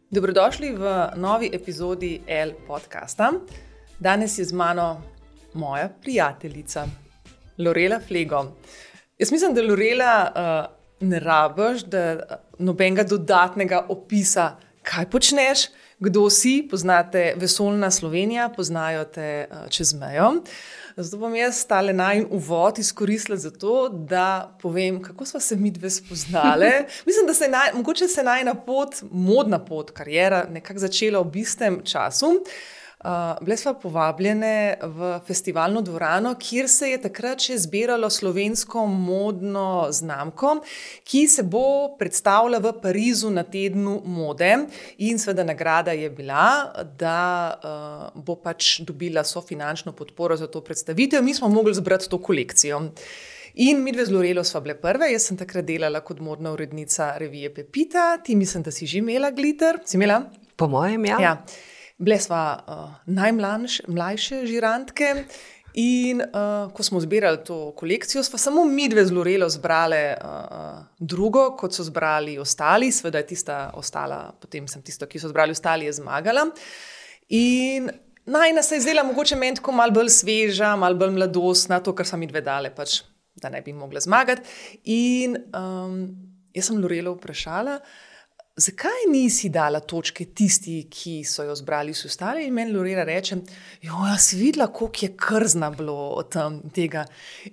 Dobrodošli v novi epizodi L podcasta. Danes je z mano moja prijateljica, Lorela Flego. Jaz mislim, da Lorela ne rabiš, da nobenega dodatnega opisa, kaj počneš, kdo si, poznate Vesoljna Slovenija, poznajo te čez mejo. Zato bom jaz tale najin uvod izkoristila za to, da povem, kako sva se midve spoznale. Mislim, da mogoče se najina pot, modna pot, karijera nekako začela v istem času. Bile sva povabljene v festivalno dvorano, kjer se je takrat še zbiralo slovensko modno znamko, ki se bo predstavila v Parizu na tednu mode. In seveda nagrada je bila, da bo pač dobila sofinančno podporo za to predstavitev. Mi smo mogli zbrati to kolekcijo. In midve z Lorelo sva bile prve. Jaz sem takrat delala kot modna urednica revije Pepita. Ti mislim, da si že imela glitter. Si imela? Po mojem, ja. Ja. Bile sva najmlajše žirantke in ko smo zbirali to kolekcijo, sva samo midve z Lorelo zbrale drugo, kot so zbrali ostali. Seveda je tista ostala, potem sem tisto, ki so zbrali ostali, je zmagala. In najina se je zdela mogoče meni tako malo bolj sveža, malo bolj mladostna, to, kar so midve dale, pač, da ne bi mogla zmagati. In jaz sem Lorelo vprašala, zakaj nisi dala točke tisti, ki so jo zbrali vsi ostali? In meni Lorela reče, jaz videla, koliko je krzna bilo tega.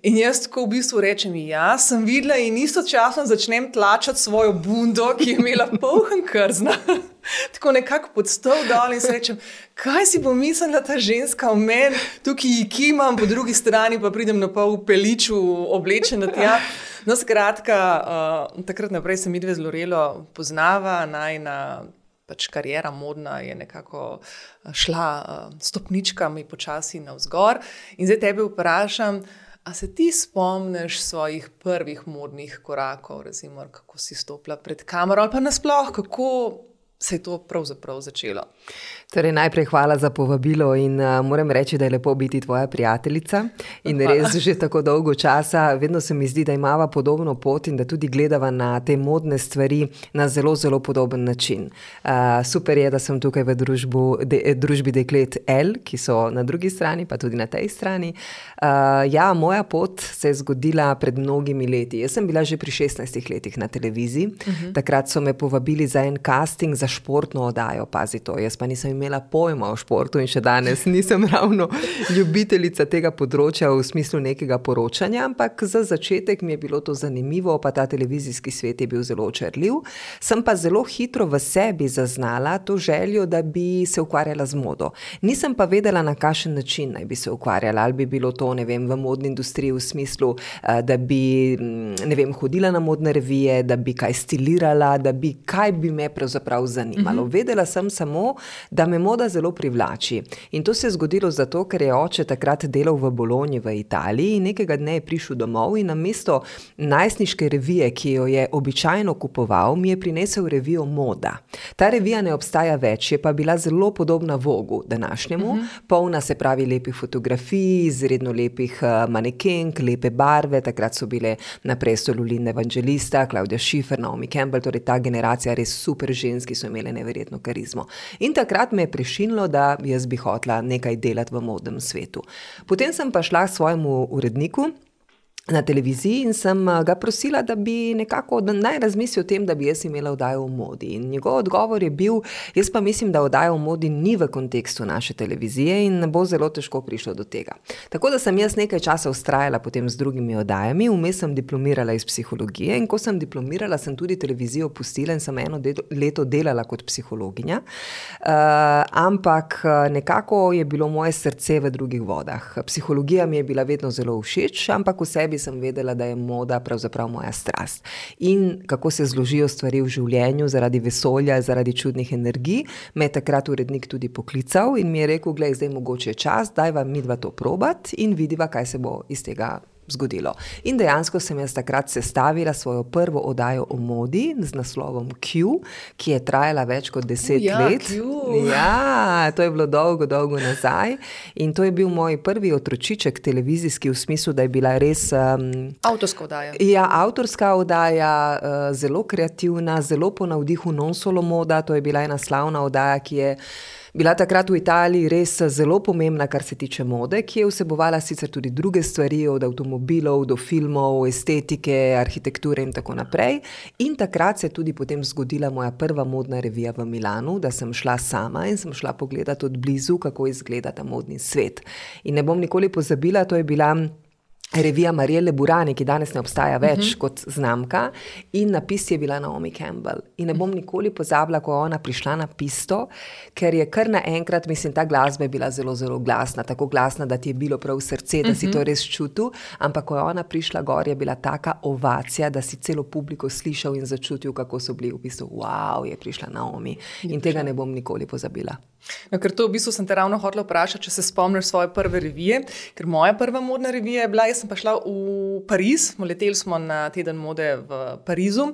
In jaz tako v bistvu rečem, ja, sem videla in istočasno začnem tlačati svojo bundo, ki je imela poln krzna. Tako nekako pod stol dol in se rečem, kaj si bo mislila ta ženska o meni, tukaj kimam, po drugi strani pa pridem na pol v peliču oblečena tja. No, skratka, takrat naprej se midve z Lorelo poznava, najina pač karijera modna je nekako šla stopničkami počasi navzgor. In zdaj tebe vprašam, a se ti spomniš svojih prvih modnih korakov, recimo, kako si stopila pred kamero ali pa nasploh, kako se je to pravzaprav začelo? Torej, najprej hvala za povabilo in moram reči, da je lepo biti tvoja prijateljica in res že tako dolgo časa. Vedno se mi zdi, da imava podobno pot in da tudi gledava na te modne stvari na zelo, zelo podoben način. Super je, da sem tukaj v družbi deklet L, ki so na drugi strani, pa tudi na tej strani. Ja, moja pot se je zgodila pred mnogimi leti. Jaz sem bila že pri 16 letih na televiziji. Takrat so me povabili za en casting za športno oddajo, pazi to. Jaz pa nisem imela pojma o športu in še danes nisem ravno ljubiteljica tega področja v smislu nekega poročanja, ampak za začetek mi je bilo to zanimivo, pa ta televizijski svet je bil zelo očarljiv. Sem pa zelo hitro v sebi zaznala to željo, da bi se ukvarjala z modo. Nisem pa vedela, na kakšen način naj bi se ukvarjala, ali bi bilo to, ne vem, v modni industriji v smislu, da bi, ne vem, hodila na modne revije, da bi kaj stilirala, da bi, kaj bi me pravzaprav zanimalo. Vedela sem samo, da me moda zelo privlači. In to se je zgodilo zato, ker je oče takrat delal v Bologni v Italiji in nekega dne je prišel domov in namesto najstniške revije, ki jo je običajno kupoval, mi je prinesel revijo Moda. Ta revija ne obstaja več, je pa bila zelo podobna Vogu današnjemu, polna, se pravi, lepih fotografij, izredno lepih manekenk, lepe barve. Takrat so bile na prestolu Linda Evangelista, Claudia Schiffer, Naomi Campbell, torej ta generacija res super ženski, so imele neverjetno karizmo. In takrat me je prešinilo, da jaz bi hotela nekaj delati v modnem svetu. Potem sem pa šla k svojemu uredniku na televiziji in sem ga prosila, da bi nekako naj razmisli o tem, da bi jaz imela oddajo o modi. In njegov odgovor je bil, jaz pa mislim, da oddaja o modi ni v kontekstu naše televizije in bo zelo težko prišlo do tega. Tako da sem jaz nekaj časa vztrajala potem z drugimi oddajami, vmes sem diplomirala iz psihologije in ko sem diplomirala, sem tudi televizijo pustila in sem eno leto delala kot psihologinja. Ampak nekako je bilo moje srce v drugih vodah. Psihologija mi je bila vedno zelo všeč, ampak v sebi sem vedela, da je moda pravzaprav moja strast. In kako se zložijo stvari v življenju zaradi vesolja, zaradi čudnih energij, me je takrat urednik tudi poklical in mi je rekel, glej, zdaj mogoče je čas, daj vam midva to probat in vidiva, kaj se bo iz tega zgodilo. In dejansko sem jaz takrat sestavila svojo prvo oddajo o modi z naslovom Q, ki je trajala več kot 10 let. Ja, to je bilo dolgo nazaj. In to je bil moj prvi otročiček televizijski, v smislu, da je bila res... Avtorska oddaja. Ja, avtorska oddaja, zelo kreativna, zelo po navdihu Non Solo Moda. To je bila ena slavna oddaja, ki je bila takrat v Italiji res zelo pomembna, kar se tiče mode, ki je vsebovala sicer tudi druge stvari, od avtomobilov do filmov, estetike, arhitekture in tako naprej. In takrat se je tudi potem zgodila moja prva modna revija v Milanu, da sem šla sama in sem šla pogledati od blizu, kako izgleda ta modni svet. In ne bom nikoli pozabila, to je bila revija Marielle Burani, ki danes ne obstaja več kot znamka, in napis je bila Naomi Campbell. In ne bom nikoli pozabila, ko je ona prišla na pisto, ker je kar naenkrat, mislim, ta glasba je bila zelo, zelo glasna, tako glasna, da ti je bilo prav srce, da si to res čutil, ampak ko je ona prišla gor, je bila taka ovacija, da si celo publiko slišal in začutil, kako so bili v bistvu, wow, je prišla Naomi. In tega ne bom nikoli pozabila. No, ker to v bistvu sem te ravno hotela vprašati, če se spomniš svoje prve revije, ker moja prva modna revija je bila, jaz sem pa šla v Pariz, leteli smo na teden mode v Parizu.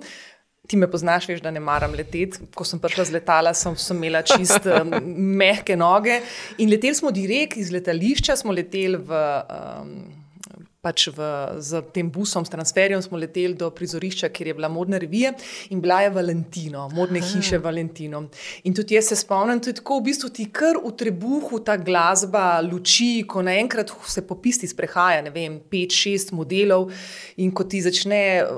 Ti me poznaš, veš, da ne maram leteti. Ko sem prišla z letala, sem imela čist mehke noge in leteli smo direkt iz letališča, smo leteli z tem busom, s transferjem smo leteli do prizorišča, kjer je bila modna revija in bila je Valentino, modne hiše Valentino. In tudi jaz se spomnim, tudi tako v bistvu ti kar v trebuhu ta glasba, luči, ko naenkrat se po pisti sprehaja, ne vem, 5-6 modelov in ko ti začne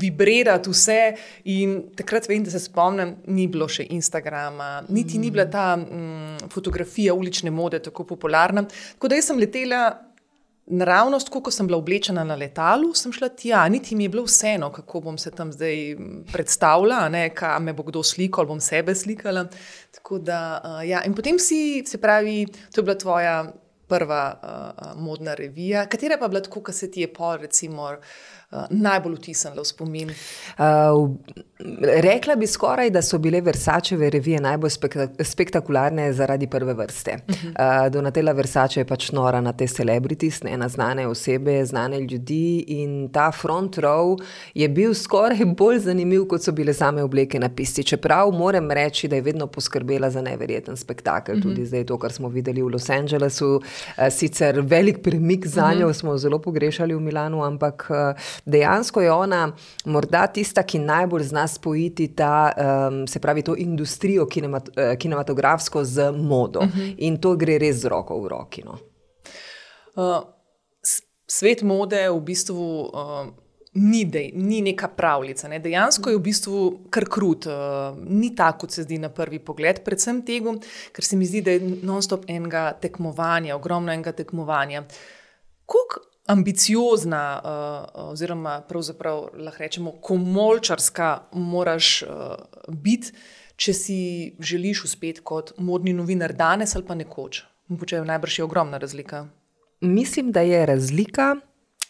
vibrirati vse in takrat vem, da se spomnim, ni bilo še Instagrama, niti ni bila ta fotografija ulične mode tako popularna. Tako da jaz sem letela naravnost, ko sem bila oblečena na letalu, sem šla tja, niti mi je bilo vseeno, kako bom se tam zdaj predstavila, kaj me bo kdo slikal, bom sebe slikala. Tako da, ja, in potem se pravi, to je bila tvoja prva modna revija. Katera pa bila tako, ko se ti je recimo najbolj vtisnila v spomin? Rekla bi skoraj, da so bile Versačeve revije najbolj spektakularne zaradi prve vrste. Donatella Versace je pač nora na te celebrities, na znane osebe, znane ljudi in ta front row je bil skoraj bolj zanimiv, kot so bile same obleke na pisti. Čeprav moram reči, da je vedno poskrbela za neverjeten spektakel. Tudi zdaj to, kar smo videli v Los Angelesu, sicer velik premik za njo, smo zelo pogrešali v Milanu, ampak dejansko je ona morda tista, ki najbolj zna spojiti se pravi to industrijo kinematografsko z modo. In to gre res z roko v roki. No. Svet mode v bistvu ni neka pravljica. Ne? Dejansko je v bistvu kar krut. Ni tako, kot se zdi na prvi pogled. Predvsem tega, ker se mi zdi, da je non-stop enega tekmovanja, ogromno enega tekmovanja. Koliko ambiciozna oziroma pravzaprav lahko rečemo komolčarska moraš biti, če si želiš uspeti kot modni novinar danes ali pa nekoč. Najbrž je ogromna razlika. Mislim, da je razlika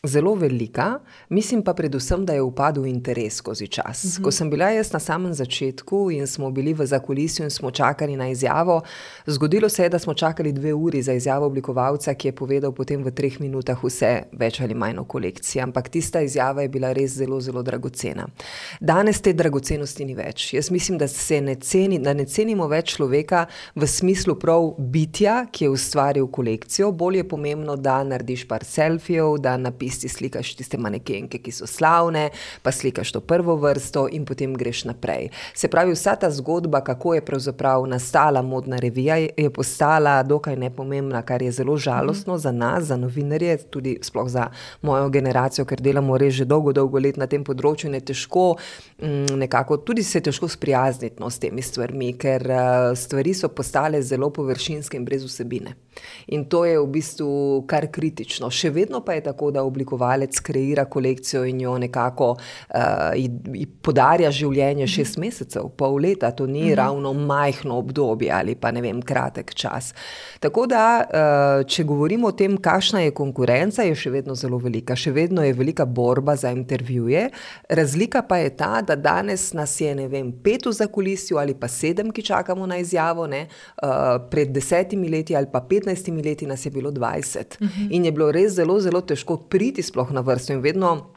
zelo velika, mislim pa predvsem, da je upadel interes skozi čas. Ko sem bila jaz na samem začetku in smo bili v zakulisju in smo čakali na izjavo, zgodilo se je, da smo čakali 2 uri za izjavo oblikovalca, ki je povedal potem v 3 minutah vse več ali manj o kolekciji, ampak tista izjava je bila res zelo, zelo dragocena. Danes te dragocenosti ni več. Jaz mislim, da ne cenimo več človeka v smislu prav bitja, ki je ustvaril kolekcijo. Bolj je pomembno, da narediš par selfijev, da slikaš tiste manekenke, ki so slavne, pa slikaš to prvo vrsto in potem greš naprej. Se pravi, vsa ta zgodba, kako je pravzaprav nastala modna revija, je postala dokaj nepomembna, kar je zelo žalostno za nas, za novinarje, tudi sploh za mojo generacijo, ker delamo res že dolgo let na tem področju in je težko nekako, tudi se je težko sprijazniti s temi stvarmi, ker stvari so postale zelo površinske in brez vsebine. In to je v bistvu kar kritično. Še vedno pa je tako, da oblikovalec kreira kolekcijo in jo nekako podarja življenje 6 mesecev, pol leta. To ni ravno majhno obdobje ali pa ne vem, kratek čas. Tako da, če govorimo o tem, kakšna je konkurenca, je še vedno zelo velika. Še vedno je velika borba za intervjuje. Razlika pa je ta, da danes nas je, ne vem, 5 v zakulisju ali pa 7, ki čakamo na izjavo. Pred 10 leti ali pa 15 leti nas je bilo 20. In je bilo res zelo, zelo težko priti priti sploh na vrsto in vedno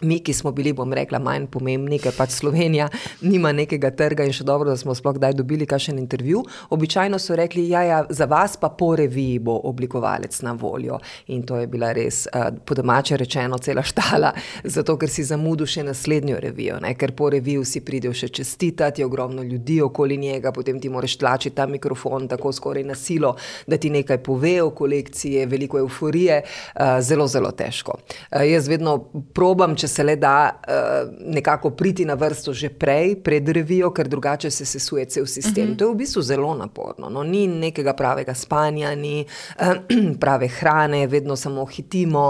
mi, ki smo bili, bom rekla, manj pomembni, ker pač Slovenija nima nekega trga in še dobro, da smo sploh kdaj dobili kakšen intervju, običajno so rekli, ja, za vas pa po reviji bo oblikovalec na voljo. In to je bila res, po domače rečeno, cela štala, zato ker si zamudil še naslednjo revijo, ne? Ker po reviju si pridejo še čestitati, je ogromno ljudi okoli njega, potem ti moraš tlačiti ta mikrofon tako skoraj na silo, da ti nekaj pove o kolekciji, veliko euforije, zelo, zelo težko. Jaz vedno probam, če se le da nekako priti na vrsto že pred revijo, ker drugače se sesuje cel sistem. To je v bistvu zelo naporno. No, ni nekega pravega spanja, ni prave hrane, vedno samo hitimo,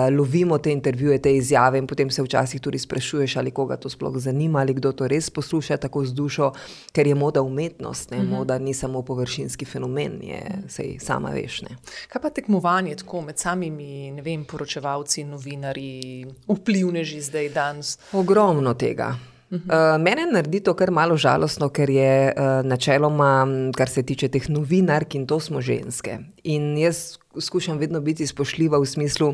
lovimo te intervjuje, te izjave in potem se včasih tudi sprašuješ, ali koga to sploh zanima, ali kdo to res posluša tako z dušo, ker je moda umetnost, ne? Moda ni samo površinski fenomen, je, sej sama veš, ne. Kaj pa tekmovanje tako med samimi, ne vem, poročevalci, novinarji, vplivneži zdaj danes? Ogromno tega. Mene naredi to kar malo žalostno, ker je načeloma, kar se tiče teh novinark, in to smo ženske. In jaz skušam vedno biti spoštljiva v smislu,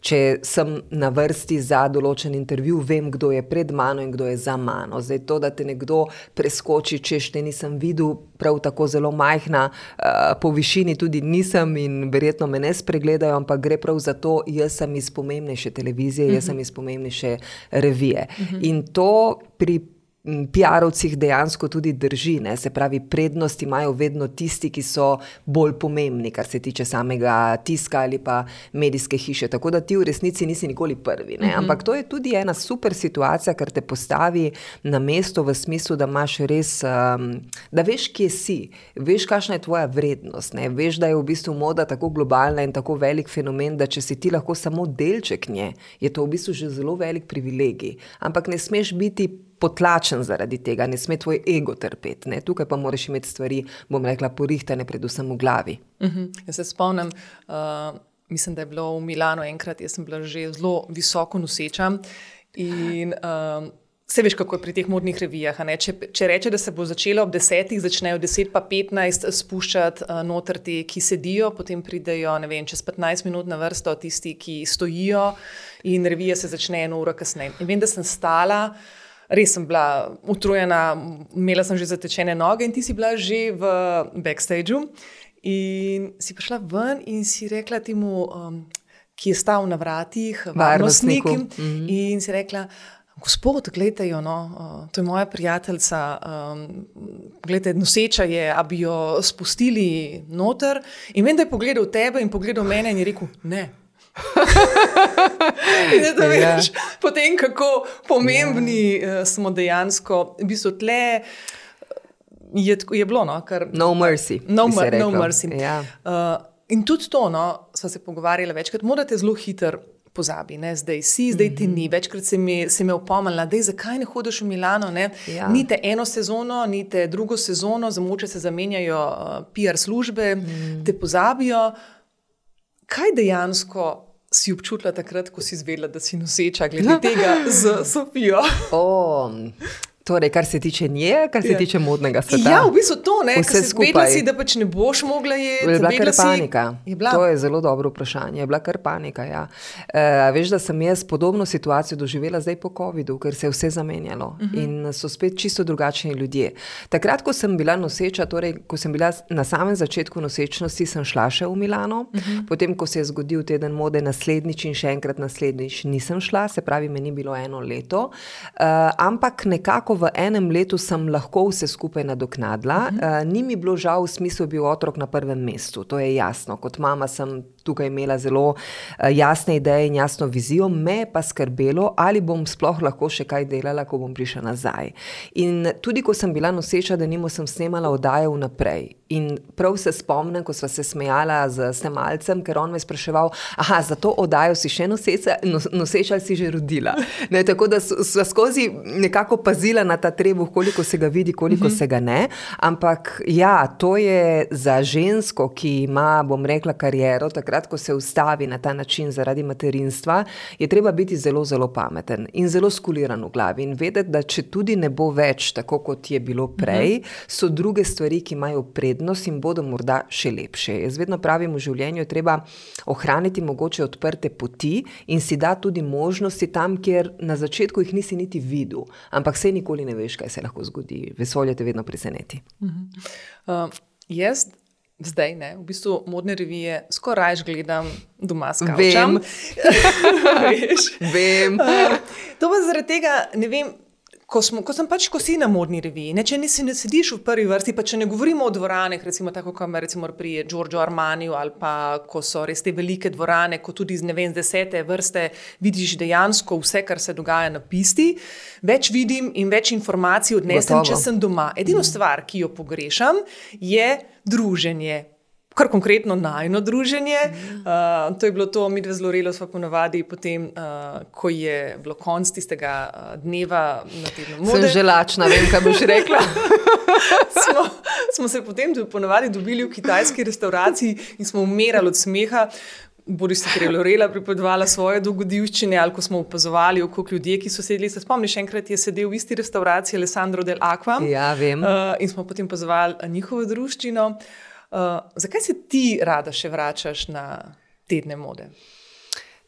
če sem na vrsti za določen intervju, vem, kdo je pred mano in kdo je za mano. Zdaj to, da te nekdo preskoči, češ te nisem videl, prav tako zelo majhna, po višini tudi nisem in verjetno me ne spregledajo, ampak gre prav za to, jaz sem iz pomembnejše televizije, jaz sem iz pomembnejše revije. In to pri PR-ovcih dejansko tudi drži, ne? Se pravi, prednost imajo vedno tisti, ki so bolj pomembni, kar se tiče samega tiska ali pa medijske hiše, tako da ti v resnici nisi nikoli prvi, ne? Ampak to je tudi ena super situacija, ker te postavi na mesto v smislu, da imaš res, da veš, kje si, veš, kakšna je tvoja vrednost, ne? Veš, da je v bistvu moda tako globalna in tako velik fenomen, da če si ti lahko samo delček nje, je to v bistvu že zelo velik privilegij, ampak ne smeš biti potlačen zaradi tega, ne sme tvoj ego trpeti, ne? Tukaj pa moraš imeti stvari, bom rekla, porihtane predvsem v glavi. Jaz se spomnim, mislim, da je bilo v Milano enkrat, jaz sem bila že zelo visoko noseča in se veš, kako je pri teh modnih revijah, ne? Če reče, da se bo začelo ob 10, začnejo 10 pa 15 spuščati noter ti, ki sedijo, potem pridejo, ne vem, čez 15 minut na vrsto tisti, ki stojijo in revija se začne 1 uro kasneje. In vem, da sem stala, res sem bila utrujena, imela sem že zatečene noge in ti si bila že v backstageu in si prišla ven in si rekla temu, ki je stal na vratih, varnostniku, in si rekla, gospod, glejte jo, no, to je moja prijateljica, glejte, noseča je, a bi jo spustili noter, in vem, da je pogledal tebe in pogledal mene in je rekel, ne. In da veš, potem kako pomembni smo dejansko, v bistvu tle je bilo, no, kar... No mercy. No mercy. In tudi to, no, sva se pogovarjala večkrat, morate zelo hitro pozabi, ne, zdaj si, zdaj ti ni. Večkrat se me opomnila, dej, zakaj ne hodiš v Milano, ne? Ni te eno sezono, ni te drugo sezono, zamoče se zamenjajo PR službe, te pozabijo. Kaj dejansko si občutila takrat, ko si izvedela, da si noseča, glede tega z Sofijo? Torej, kar se tiče nje, kar se tiče modnega sveta. Ja, v bistvu to, ne, vse skupaj. Si, da pač ne boš mogla jeti. Je bila kar panika. To je zelo dobro vprašanje. Je bila kar panika, ja. Veš, da sem jaz podobno situacijo doživela zdaj po covidu, ker se je vse zamenjalo in so spet čisto drugačni ljudje. Takrat, ko sem bila noseča, torej, ko sem bila na samem začetku nosečnosti, sem šla še v Milano, potem, ko se je zgodil teden mode naslednjič in še enkrat naslednjič nisem šla, se pravi, me ni bilo 1 leto, ampak nekako v enem letu sem lahko vse skupaj nadoknadila. Ni mi bilo žal, v smislu bil otrok na prvem mestu, to je jasno. Kot mama sem tukaj imela zelo jasne ideje in jasno vizijo, me pa skrbelo, ali bom sploh lahko še kaj delala, ko bom prišla nazaj. In tudi, ko sem bila noseča, denimo sem snemala oddaje vnaprej. In prav se spomnim, ko sva se smejala z snemalcem, ker on me spraševal, za to oddajo si še noseča ali si že rodila. Ne, tako da sva skozi nekako pazila na ta trebuh, koliko se ga vidi, koliko se ga ne. Ampak ja, to je za žensko, ki ima, bom rekla, kariero, takrat takrat, ko se ustavi na ta način zaradi materinstva, je treba biti zelo, zelo pameten in zelo skuliran v glavi in vedeti, da če tudi ne bo več tako, kot je bilo prej, so druge stvari, ki imajo prednost in bodo morda še lepše. Jaz vedno pravim, v življenju je treba ohraniti mogoče odprte poti in si da tudi možnosti tam, kjer na začetku jih nisi niti videl, ampak sej nikoli ne veš, kaj se lahko zgodi. Vesolje te vedno preseneti. Jaz zdaj, v bistvu modne revije skoraj gledam doma s kavčem. Vem. To pa zaradi tega, ne vem, ko si na modni reviji, če ne sediš v prvi vrsti, pa če ne govorimo o dvoraneh, recimo tako, kot recimo pri Giorgio Armaniju, ali pa ko so res te velike dvorane, ko tudi z 10. vrste vidiš dejansko vse, kar se dogaja na pisti, več vidim in več informacij odnesem, če sem doma. Edino stvar, ki jo pogrešam, je druženje. Kar konkretno najino druženje. To je bilo to, midve z Lorelo sva ponavadi potem, ko je bilo konc tistega dneva na tednu mode. Sem že lačna, vem, kaj boš rekla. smo se potem ponavadi dobili v kitajski restauraciji in smo umirali od smeha. Boris, ker je Lorela pripovedovala svoje dogodivščine, ali ko smo opazovali okrog ljudje, ki so sedeli. Se spomniš, enkrat je sedel v isti restauraciji Alessandro del Acqua. Ja, vem. In smo potem opazovali njihovo druščino. Zakaj se ti rada še vračaš na tedne mode?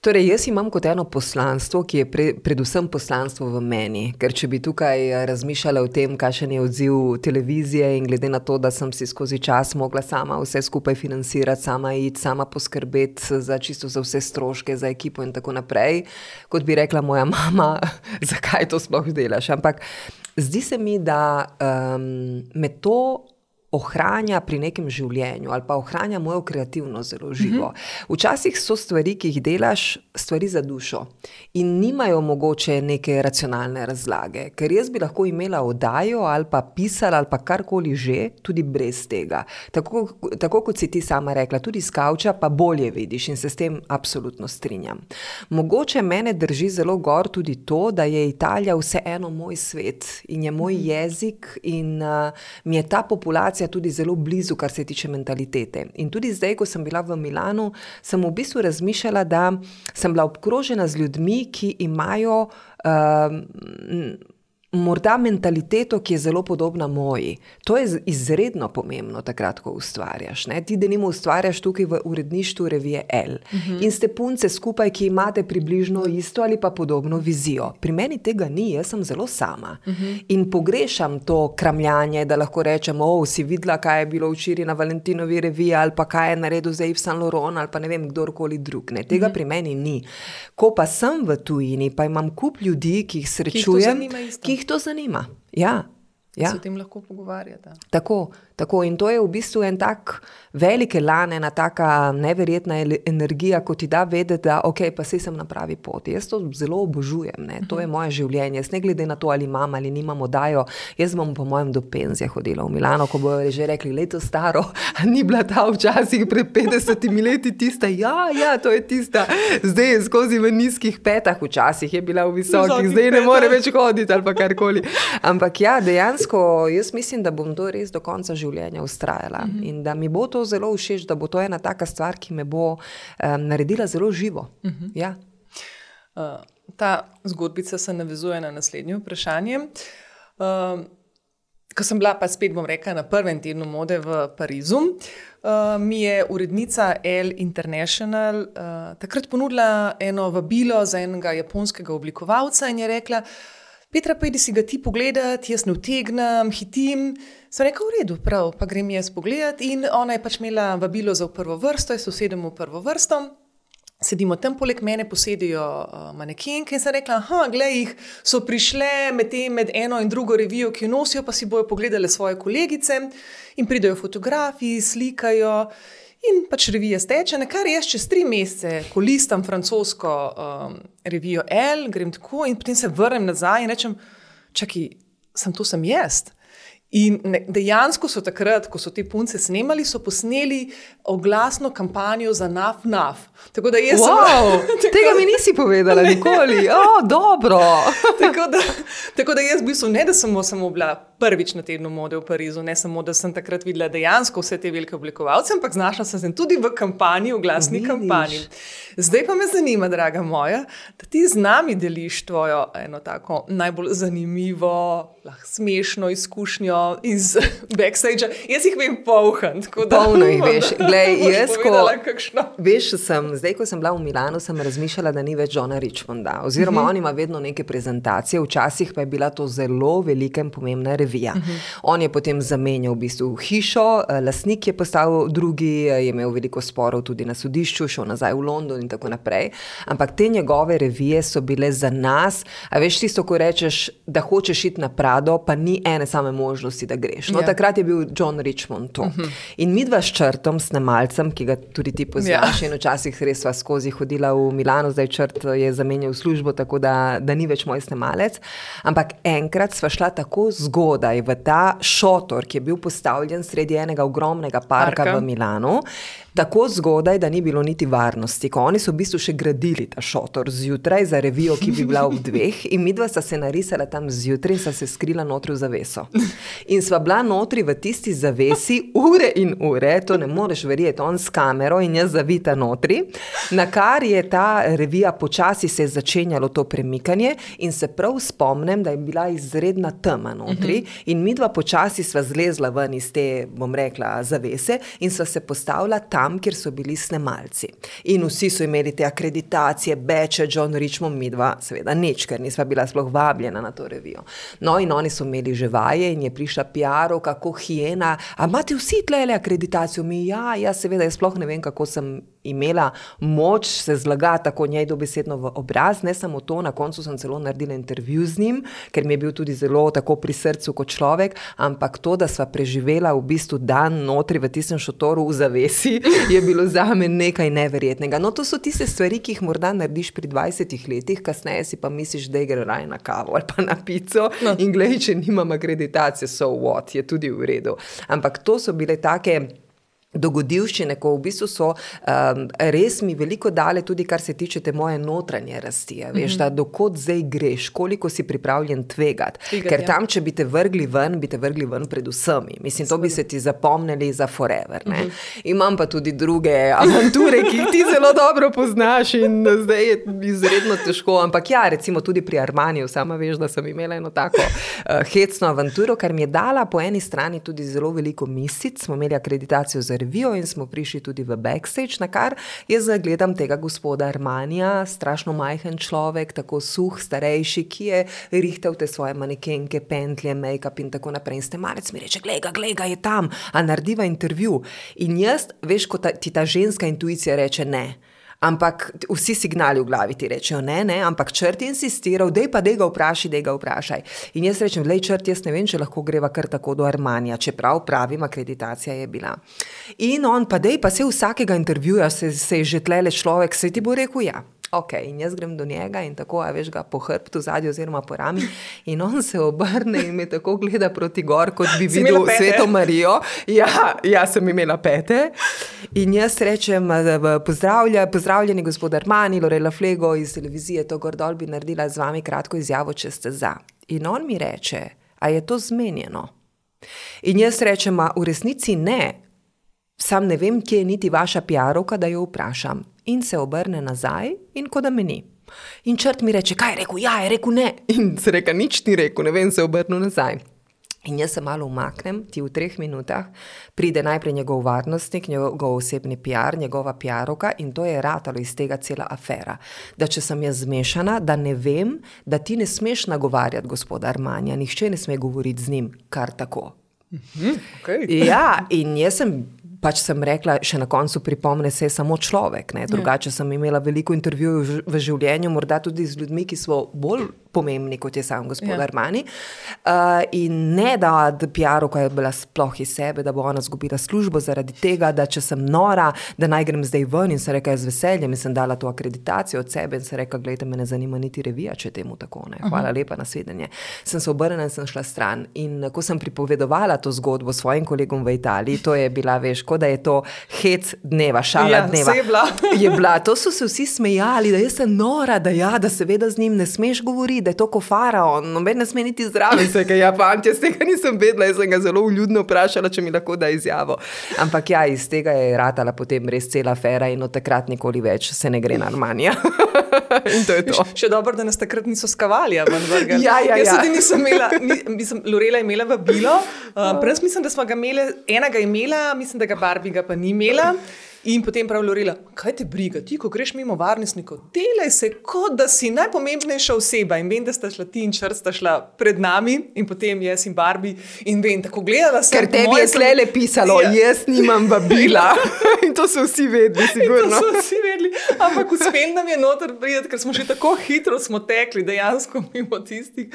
Torej, jaz imam kot eno poslanstvo, ki je predvsem poslanstvo v meni, ker če bi tukaj razmišljala o tem, kakšen je odziv televizije in glede na to, da sem si skozi čas mogla sama vse skupaj financirati, sama iti, sama poskrbeti čisto za vse stroške, za ekipo in tako naprej, kot bi rekla moja mama, zakaj to sploh delaš. Ampak zdi se mi, da me to ohranja pri nekem življenju ali pa ohranja mojo kreativnost zelo živo. Včasih so stvari, ki jih delaš, stvari za dušo in nimajo mogoče neke racionalne razlage, ker jaz bi lahko imela oddajo ali pa pisala ali pa karkoli že, tudi brez tega. Tako kot si ti sama rekla, tudi s kavča pa bolje vidiš in se s tem absolutno strinjam. Mogoče mene drži zelo gor tudi to, da je Italija vseeno moj svet in je moj jezik in mi je ta populacija tudi zelo blizu, kar se tiče mentalitete. In tudi zdaj, ko sem bila v Milanu, sem v bistvu razmišljala, da sem bila obkrožena z ljudmi, ki imajo morda mentaliteto, ki je zelo podobna moji. To je izredno pomembno takrat, ko ustvarjaš. Ne? Ti denimo ustvarjaš tukaj v uredništvu revije L. In ste punce skupaj, ki imate približno isto ali pa podobno vizijo. Pri meni tega ni, jaz sem zelo sama. In pogrešam to kramljanje, da lahko rečem, si videla, kaj je bilo včeraj na Valentinovi reviji ali pa kaj je naredil za Yves Saint Laurent ali pa ne vem, kdorkoli drug. Ne? Tega pri meni ni. Ko pa sem v tujini, pa imam kup ljudi, ki jih srečujem, ki jih to zanima. Ja. Se o tem lahko pogovarjate. Tako. In to je v bistvu en tak velik elan, ena taka neverjetna energija, ko ti da vedeti, da pa saj sem na pravi poti. Jaz to zelo obožujem, ne? To je moje življenje. Jaz ne glede na to, ali imam ali nimam oddajo, jaz bom po mojem do penzije hodila v Milano, ko bojo že rekli, leto staro, ni bila ta včasih pred 50 leti tista, ja, to je tista, zdaj je skozi v nizkih petah, včasih je bila v visokih, zdaj ne more več hoditi ali pa karkoli. Ampak ja, dejansko, jaz mislim, da bom to res do konca življenja ustrajala in da mi bo to zelo všeč, da bo to ena taka stvar, ki me bo naredila zelo živo. Ja. Ta zgodbica se navezuje na naslednje vprašanje. Ko sem bila, pa spet bom rekla, na prvem tednu mode v Parizu, mi je urednica Elle International takrat ponudila eno vabilo za enega japonskega oblikovalca in je rekla, Petra, pojdi si ga ti pogledat, jaz ne utegnem, hitim. Sem rekla, v redu, prav, pa grem jaz pogledat in ona je pač imela vabilo za v prvo vrsto, jaz usedem v prvo vrsto, sedimo tam, poleg mene posedijo manekenke in sem rekla, glej jih, so prišle med eno in drugo revijo, ki jo nosijo, pa si bojo pogledale svoje kolegice in pridejo fotografi, slikajo in pač revija steče, kar jaz čez 3 mesece, ko listam francosko revijo L, grem tako in potem se vrnem nazaj in rečem, čakaj, sem jaz. In dejansko so takrat, ko so te punce snemali, so posneli oglasno kampanjo za NAF. Tako da jaz tega mi nisi povedala nikoli. Dobro. Tako da jaz v bistvu ne, da sem samo bila prvič na tednu mode v Parizu, ne samo, da sem takrat videla dejansko vse te velike oblikovalce, ampak znašla sem se tudi v kampanji, v glasni kampanji. Zdaj pa me zanima, draga moja, da ti z nami deliš tvojo eno tako najbolj zanimivo, lahko smešno izkušnjo iz backstage. Jaz jih vem polhan. Polno jih veš. Glej, jaz, zdaj, ko sem bila v Milanu, sem razmišljala, da ni več Johna Richmonda. Oziroma, on ima vedno neke prezentacije, včasih pa je bila to zelo velika in pomembna revija. On je potem zamenjal v bistvu hišo, lastnik je postal drugi, je imel veliko sporov tudi na sodišču, šel nazaj v London in tako naprej. Ampak te njegove revije so bile za nas, a veš tisto, ko rečeš, da hočeš iti na Prado, pa ni ene same možnosti, da greš. No, takrat je bil John Richmond to. In midva s Črtom, snemalcem, ki ga tudi ti poznaš, in včasih res sva skozi hodila v Milano, zdaj Črt je zamenjal službo, tako da ni več moj snemalec. Ampak enkrat sva šla tako zgodaj v ta šotor, ki je bil postavljen sredi enega ogromnega parka v Milanu, tako zgodaj, da ni bilo niti varnosti, ko oni so v bistvu še gradili ta šotor zjutraj za revijo, ki bi bila ob 2, in midva sta se narisala tam zjutraj in sta se skrila notri v zaveso. In sva bila notri v tisti zavesi ure in ure, to ne moreš verjeti, on s kamero in jaz zavita notri, na kar je ta revija počasi se začenjalo to premikanje in se prav spomnim, da je bila izredna tema notri in midva počasi sva zlezla ven iz te, bom rekla, zavese in sva se postavila tam, kjer so bili snemalci. In vsi so imeli te akreditacije, beče, John Richmond, midva, seveda nič, ker nisva bila sploh vabljena na to revijo. No in oni so imeli že vaje in je prišla PR-ovka, kako hijena, a imate vsi tlele akreditacijo? Ja, seveda, jaz sploh ne vem, kako sem imela moč se zlagati tako njej dobesedno v obraz, ne samo to, na koncu sem celo naredila intervju z njim, ker mi je bil tudi zelo tako pri srcu kot človek, ampak to, da sva preživela v bistvu dan notri v tistem šotoru v zavesi, je bilo zame nekaj neverjetnega. No, to so tiste stvari, ki jih morda narediš pri 20 letih, kasneje si pa misliš, da gre raje na kavo ali pa na pico in glej, če nimam akreditacije, so what, je tudi v redu. Ampak to so bile take dogodivščine, ko v bistvu so res mi veliko dale tudi, kar se tiče te moje notranje rasti. Veš, da dokot zdaj greš, koliko si pripravljen tvegati. Ker tam, če bi te vrgli ven pred vsemi. Mislim, to bi se ti zapomnili za forever. Ne? Imam pa tudi druge avanture, ki jih ti zelo dobro poznaš in zdaj je izredno težko. Ampak ja, recimo tudi pri Armaniju, sama veš, da sem imela eno tako hecno avanturo, kar mi je dala po eni strani tudi zelo veliko misic. Smo imeli akreditacijo za revijo in smo prišli tudi v backstage, na kar jaz gledam tega gospoda Armanija, strašno majhen človek, tako suh, starejši, ki je rihtal te svoje manekenke, pentlje, make-up in tako naprej. In snemalec mi reče, glej ga, je tam, a narediva intervju. In jaz, veš, ko ti ta ženska intuicija reče ne. Ampak vsi signali v glavi ti rečejo ne, ampak Črt je insistiral, dej ga vprašaj. In jaz rečem, glej Črt, jaz ne vem, če lahko greva kar tako do Armanija, čeprav pravim, akreditacija je bila. In on pa se vsakega intervjuja, se je že tlele človek, se ti bo rekel ja. Ok, in jaz grem do njega in tako, a veš ga po hrbtu zadnji oziroma po rami in on se obrne in me tako gleda proti gor, kot bi videl Sveto Marijo. Ja, sem imela pete. In jaz rečem, pozdravljeni gospod Armani, Lorela Flego iz televizije, to gor dol bi naredila z vami kratko izjavo, če ste za. In on mi reče, a je to zmenjeno? In jaz rečem, v resnici ne. Sam ne vem, kje je niti vaša PR-ovka, da jo vprašam. In se obrne nazaj in ko da me ni. In Črt mi reče, kaj je rekel? Ja, je rekel ne. In se reka, nič ni rekel, ne vem, se obrnil nazaj. In jaz se malo umaknem, ti v 3 minutah pride najprej njegov varnostnik, njegov osebni PR, njegova PR-ovka in to je ratalo iz tega cela afera. Da če sem jaz zmešana, da ne vem, da ti ne smeš nagovarjati gospoda Armanija, nihče ne sme govoriti z njim kar tako. Okay. Ja, in jaz sem rekla, še na koncu pripomne, se je samo človek, ne? Drugače sem imela veliko intervjujev v življenju, morda tudi z ljudmi, ki so bolj pomembni, kot je sam gospod Armani. In ne, da PR-ovka je bila sploh iz sebe, da bo ona zgubila službo zaradi tega, da če sem nora, da naj grem zdaj ven in se reka, z veseljem in sem dala to akreditacijo od sebe in se reka, gledajte, me ne zanima niti revija, če temu tako, ne. Hvala lepa, nasvidenje. Sem se obrnila in sem šla stran. In ko sem pripovedovala to zgodbo svojim kolegom v Italiji, to je bila, veš, kot da je to hec dneva, šala dneva. Je bila. To so se vsi smejali, da jaz sem nora, da seveda z njim ne smeš govoriti, da je to ko faraon, noben ne sme niti zraven. Jaz tega nisem vedela, jaz sem ga zelo vljudno vprašala, če mi lahko da izjavo. Ampak ja, iz tega je ratala potem res cela afera in od takrat nikoli več se ne gre na Armanija. In to je to. Še dobro, da nas takrat niso skavali, Ja. Jaz tudi nisem imela, Lorela je imela vabilo, prej mislim, da smo ga imeli, enega imela, mislim, da ga Barbie ga pa ni imela. In potem prav Lorela, kaj te briga, ti, ko greš mimo varnostnikov, delaj se, kot da si najpomembnejša oseba. In vem, da sta šla ti in Črt sta šla pred nami in potem jaz in Barbie. In vem, tako gledala sem. Ker tebi je tlele pisalo, jaz nimam vabila. In to so vsi vedeli, sigurno. To so vsi vedeli, ampak uspel nam je noter prijeti, ker smo že tako hitro smo tekli, dejansko mimo tistih.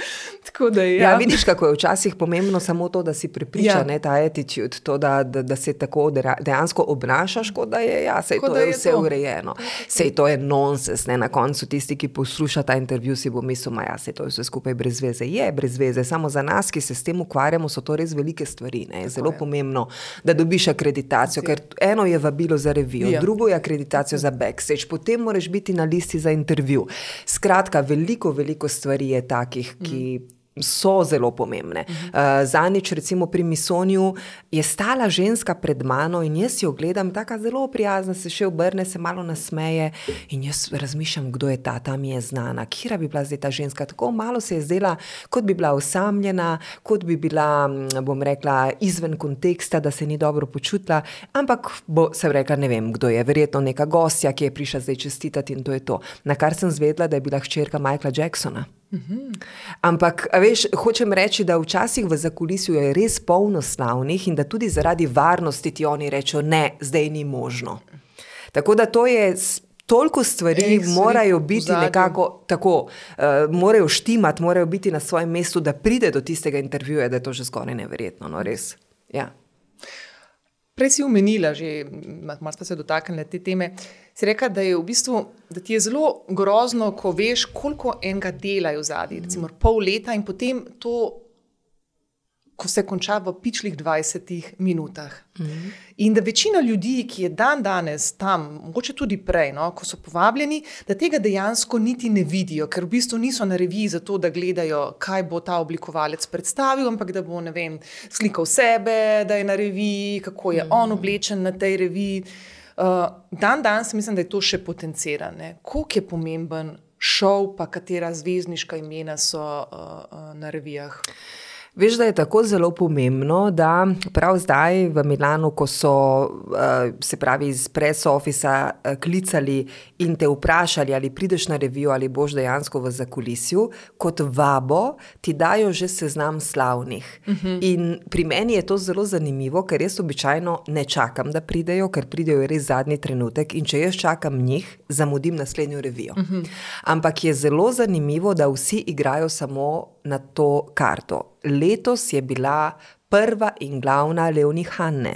Tako da ja, vidiš, kako je včasih pomembno samo to, da si prepriča, ne, ta attitude, to, da se tako dejansko obnašaš, kot da je, sej to je vse urejeno. Sej to je nonsens, ne, na koncu tisti, ki posluša ta intervju, si bo mislil, sej to je vse skupaj brez veze. Je brez veze, samo za nas, ki se s tem ukvarjamo, so to res velike stvari, ne. Je zelo pomembno, da dobiš akreditacijo, ker eno je vabilo za revijo, drugo je akreditacijo za backstage, potem moraš biti na listi za intervju. Skratka, veliko stvari je takih, ki so zelo pomembne. Zanič, recimo pri Misoniju, je stala ženska pred mano in jaz jo gledam, taka zelo prijazna, se še obrne, se malo nasmeje in jaz razmišljam, kdo je ta mi je znana, kjera bi bila zdaj ta ženska, tako malo se je zdela, kot bi bila osamljena, kot bi bila, bom rekla, izven konteksta, da se ni dobro počutila, ampak sem rekla, ne vem, kdo je, verjetno neka gostja, ki je prišla zdaj čestitati in to je to. Na kar sem zvedela, da je bila hčerka Michaela Jacksona. Ampak, veš, hočem reči, da včasih v zakulisju je res polno slavnih in da tudi zaradi varnosti ti oni rečejo, ne, zdaj ni možno. Tako da to je, toliko stvari morajo biti nekako tako, morajo štimati, morajo biti na svojem mestu, da pride do tistega intervjuja, da je to že skoraj neverjetno, no res, ja. Prej si omenila že, malo smo se dotaknili te teme, si rekla, da je v bistvu, da ti je zelo grozno, ko veš, koliko enega dela je v zadnji, recimo pol leta in potem to, ko se konča v pičlih 20 minutah. In da večina ljudi, ki je danes tam, mogoče tudi prej, no, ko so povabljeni, da tega dejansko niti ne vidijo, ker v bistvu niso na reviji zato, da gledajo, kaj bo ta oblikovalec predstavil, ampak da bo, ne vem, slikal sebe, da je na reviji, kako je on oblečen na tej reviji. Danes mislim, da je to še potencirano. Koliko je pomemben šov, pa katera zvezdniška imena so na revijah? Veš, da je tako zelo pomembno, da prav zdaj v Milanu, ko so se pravi iz press officea klicali in te vprašali, ali prideš na revijo, ali boš dejansko v zakulisju, kot vabo ti dajo že seznam slavnih. In pri meni je to zelo zanimivo, ker jaz običajno ne čakam, da pridejo, ker pridejo res zadnji trenutek in če jaz čakam njih, zamudim naslednjo revijo. Ampak je zelo zanimivo, da vsi igrajo samo na to karto. Letos je bila prva in glavna Leonie Hanne,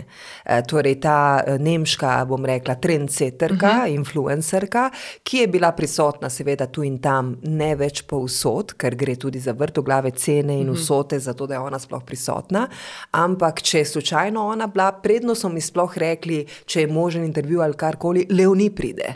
torej ta nemška, bom rekla, trendsetterka, influencerka, ki je bila prisotna seveda tu in tam, ne več povsod, ker gre tudi za vrtoglave cene in vsote, zato da je ona sploh prisotna, ampak če je slučajno ona bila, predno so mi sploh rekli, če je možen intervju ali karkoli, Leonie pride.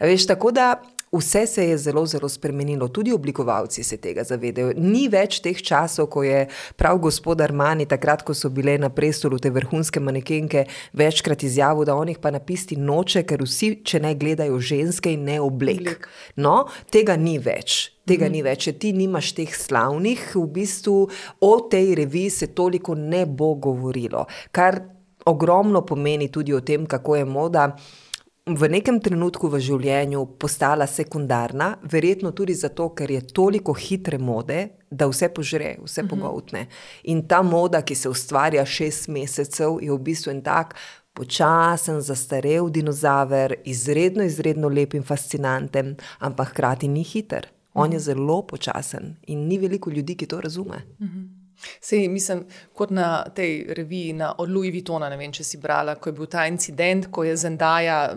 Veš, tako da vse se je zelo spremenilo, tudi oblikovalci se tega zavedajo. Ni več teh časov, ko je prav gospod Armani, takrat, ko so bile na prestolu te vrhunske manekenke, večkrat izjavil, da on jih pa napisti noče, ker vsi, če ne gledajo ženske in ne oblek. No, tega ni več. Če ti nimaš teh slavnih, v bistvu o tej reviji se toliko ne bo govorilo, kar ogromno pomeni tudi o tem, kako je moda v nekem trenutku v življenju postala sekundarna, verjetno tudi zato, ker je toliko hitre mode, da vse požre, vse pogoltne. In ta moda, ki se ustvarja 6 mesecev, je v bistvu en tak počasen, zastarel dinozaver, izredno lep in fascinanten, ampak hkrati ni hiter. On je zelo počasen in ni veliko ljudi, ki to razume. Sej, mislim, kot na tej reviji od Louis Vuittona, ne vem, če si brala, ko je bil ta incident, ko je Zendaya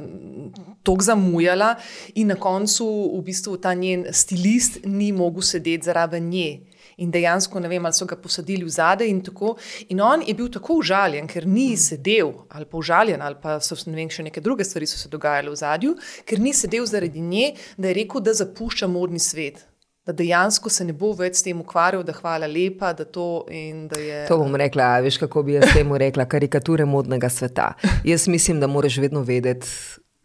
toliko zamujala in na koncu v bistvu ta njen stilist ni mogel sedeti zraven nje. In dejansko, ne vem, ali so ga posadili v zadaj in tako. In on je bil tako užaljen, ker ni sedel, ali pa užaljen, ali pa so, ne vem, še neke druge stvari so se dogajale v zadju, ker ni sedel zaradi nje, da je rekel, da zapušča modni svet. Da dejansko se ne bo več s tem ukvarjal, da hvala lepa, da to in da je... To bom rekla, veš, kako bi jaz temu rekla, karikature modnega sveta. Jaz mislim, da moraš vedno vedeti,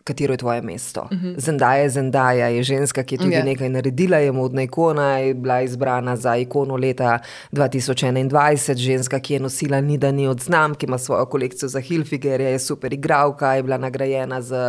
katero je tvoje mesto. Zendaya je ženska, ki je tudi nekaj naredila, je modna ikona, je bila izbrana za ikono leta 2021, ženska, ki je nosila ni da ni od znamk, ki ima svojo kolekcijo za Hilfiger, je super igralka, je bila nagrajena z,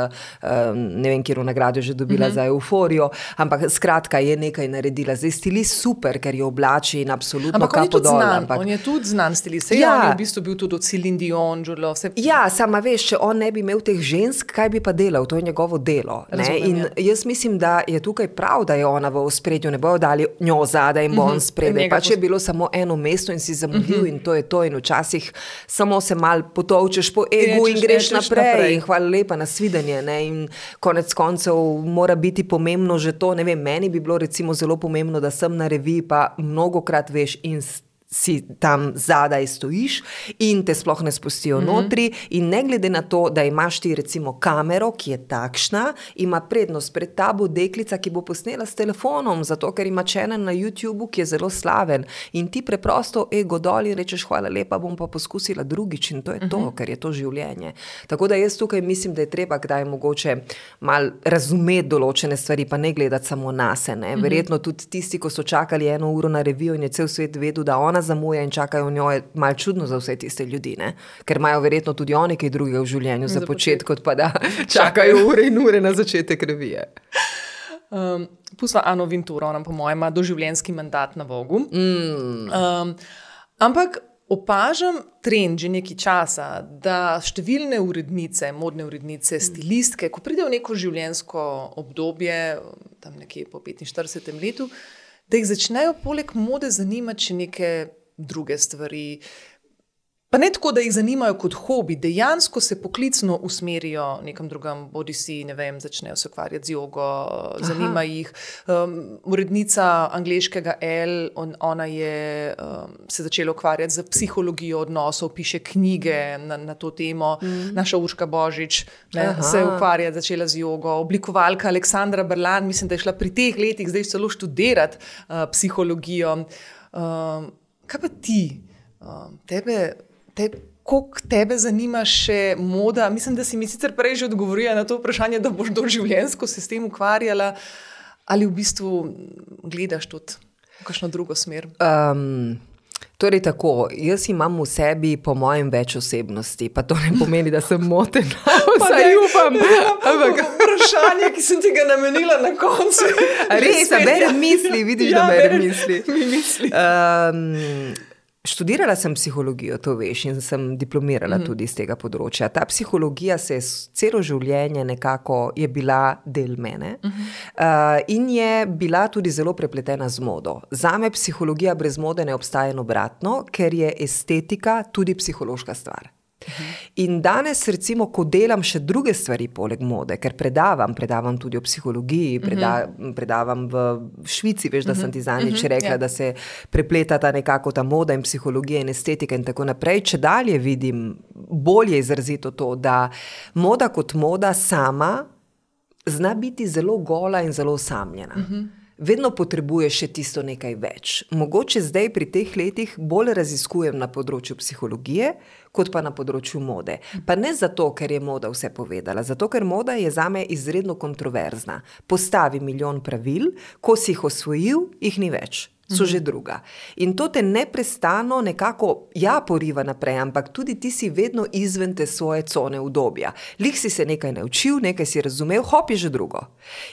ne vem, kjer nagrado že dobila za Euforijo, ampak skratka je nekaj naredila. Zdaj stilist super, ker jo oblači in absolutno kapo dol. On je tudi znan stilist. On je v bistvu bil tudi od Celine Dion, Julo, vse... Ja, sama veš, če on ne bi imel teh žensk, kaj bi pa delal? To je njegovo delo. Razumem, in jaz mislim, da je tukaj prav, da je ona v ospredju, ne bojo dali njo zadaj in bo on spredaj. Pač je bilo samo eno mesto in si zamudil in to je to. In včasih samo se mal potovčeš po egu in greš naprej. In hvala lepa, nasvidenje. Ne? In konec koncev mora biti pomembno že to. Ne vem, meni bi bilo recimo zelo pomembno, da sem na reviji, pa mnogokrat veš in si tam zadaj stojiš in te sploh ne spustijo notri in ne glede na to, da imaš ti recimo kamero, ki je takšna, ima prednost pred tabo deklica, ki bo posnela s telefonom, zato ker ima channel na YouTubeu, ki je zelo slaven in ti preprosto ego dol in rečeš hvala lepa, bom pa poskusila drugič in to je to, ker je to življenje. Tako da jaz tukaj mislim, da je treba kdaj mogoče mal razumeti določene stvari, pa ne gledati samo nase, ne. Verjetno tudi tisti, ko so čakali 1 uro na revijo in je cel svet vedel, da ona zamuja in čakajo njo, je malo čudno za vse tiste ljudi, ne? Ker imajo verjetno tudi oni kaj drugega v življenju za početi, kot pa da čakajo ure in ure na začetek revije. Pustva Ano Vintouro, ona po mojem ima doživljenjski mandat na Vogu. Ampak opažam trend že nekaj časa, da številne urednice, modne urednice, stilistke, ko pride v neko življenjsko obdobje, tam nekje po 45. letu, da jih začnejo poleg mode zanimati še neke druge stvari. Pa ne tako, da jih zanimajo kot hobi, dejansko se poklicno usmerijo nekam drugam, bodi si, ne vem, začnejo se ukvarjati z jogo, zanima jih. Urednica angleškega Elle, ona je se začela ukvarjati z psihologijo odnosov, piše knjige na to temo. Naša Urška Božič se ukvarja, začela z jogo. Oblikovalka Aleksandra Berlan, mislim, da je šla pri teh letih zdaj celo študirati psihologijo. Kaj pa ti? Koliko tebe zanima še moda? Mislim, da si mi sicer prej že odgovorila na to vprašanje, da boš doživljenjsko se s tem ukvarjala, ali v bistvu gledaš tudi v kakšno drugo smer? Torej tako, jaz imam v sebi po mojem več osebnosti, pa to ne pomeni, da sem motena, vsaj upam. Vprašanje, ki sem ti ga namenila na koncu. Res, berem misli, vidiš, da berem misli. Študirala sem psihologijo, to veš, in sem diplomirala tudi iz tega področja. Ta psihologija se celo življenje nekako je bila del mene in je bila tudi zelo prepletena z modo. Zame psihologija brez mode ne obstaja in obratno, ker je estetika tudi psihološka stvar. In danes recimo, ko delam še druge stvari poleg mode, ker predavam tudi o psihologiji, predavam v Švici, veš, da sem ti zadnjič rekla, da se prepletata nekako ta moda in psihologija in estetika in tako naprej. Če dalje vidim, bolje izrazito to, da moda kot moda sama zna biti zelo gola in zelo osamljena. Vedno potrebuje še tisto nekaj več. Mogoče zdaj pri teh letih bolj raziskujem na področju psihologije, kot pa na področju mode. Pa ne zato, ker je moda vse povedala, zato ker moda je zame izredno kontroverzna. Postavi milijon pravil, ko si jih osvojil, jih ni več. So že druga. In to te neprestano nekako, poriva naprej, ampak tudi ti si vedno izven te svoje cone udobja. Lih si se nekaj naučil, nekaj si razumel, hop je že drugo.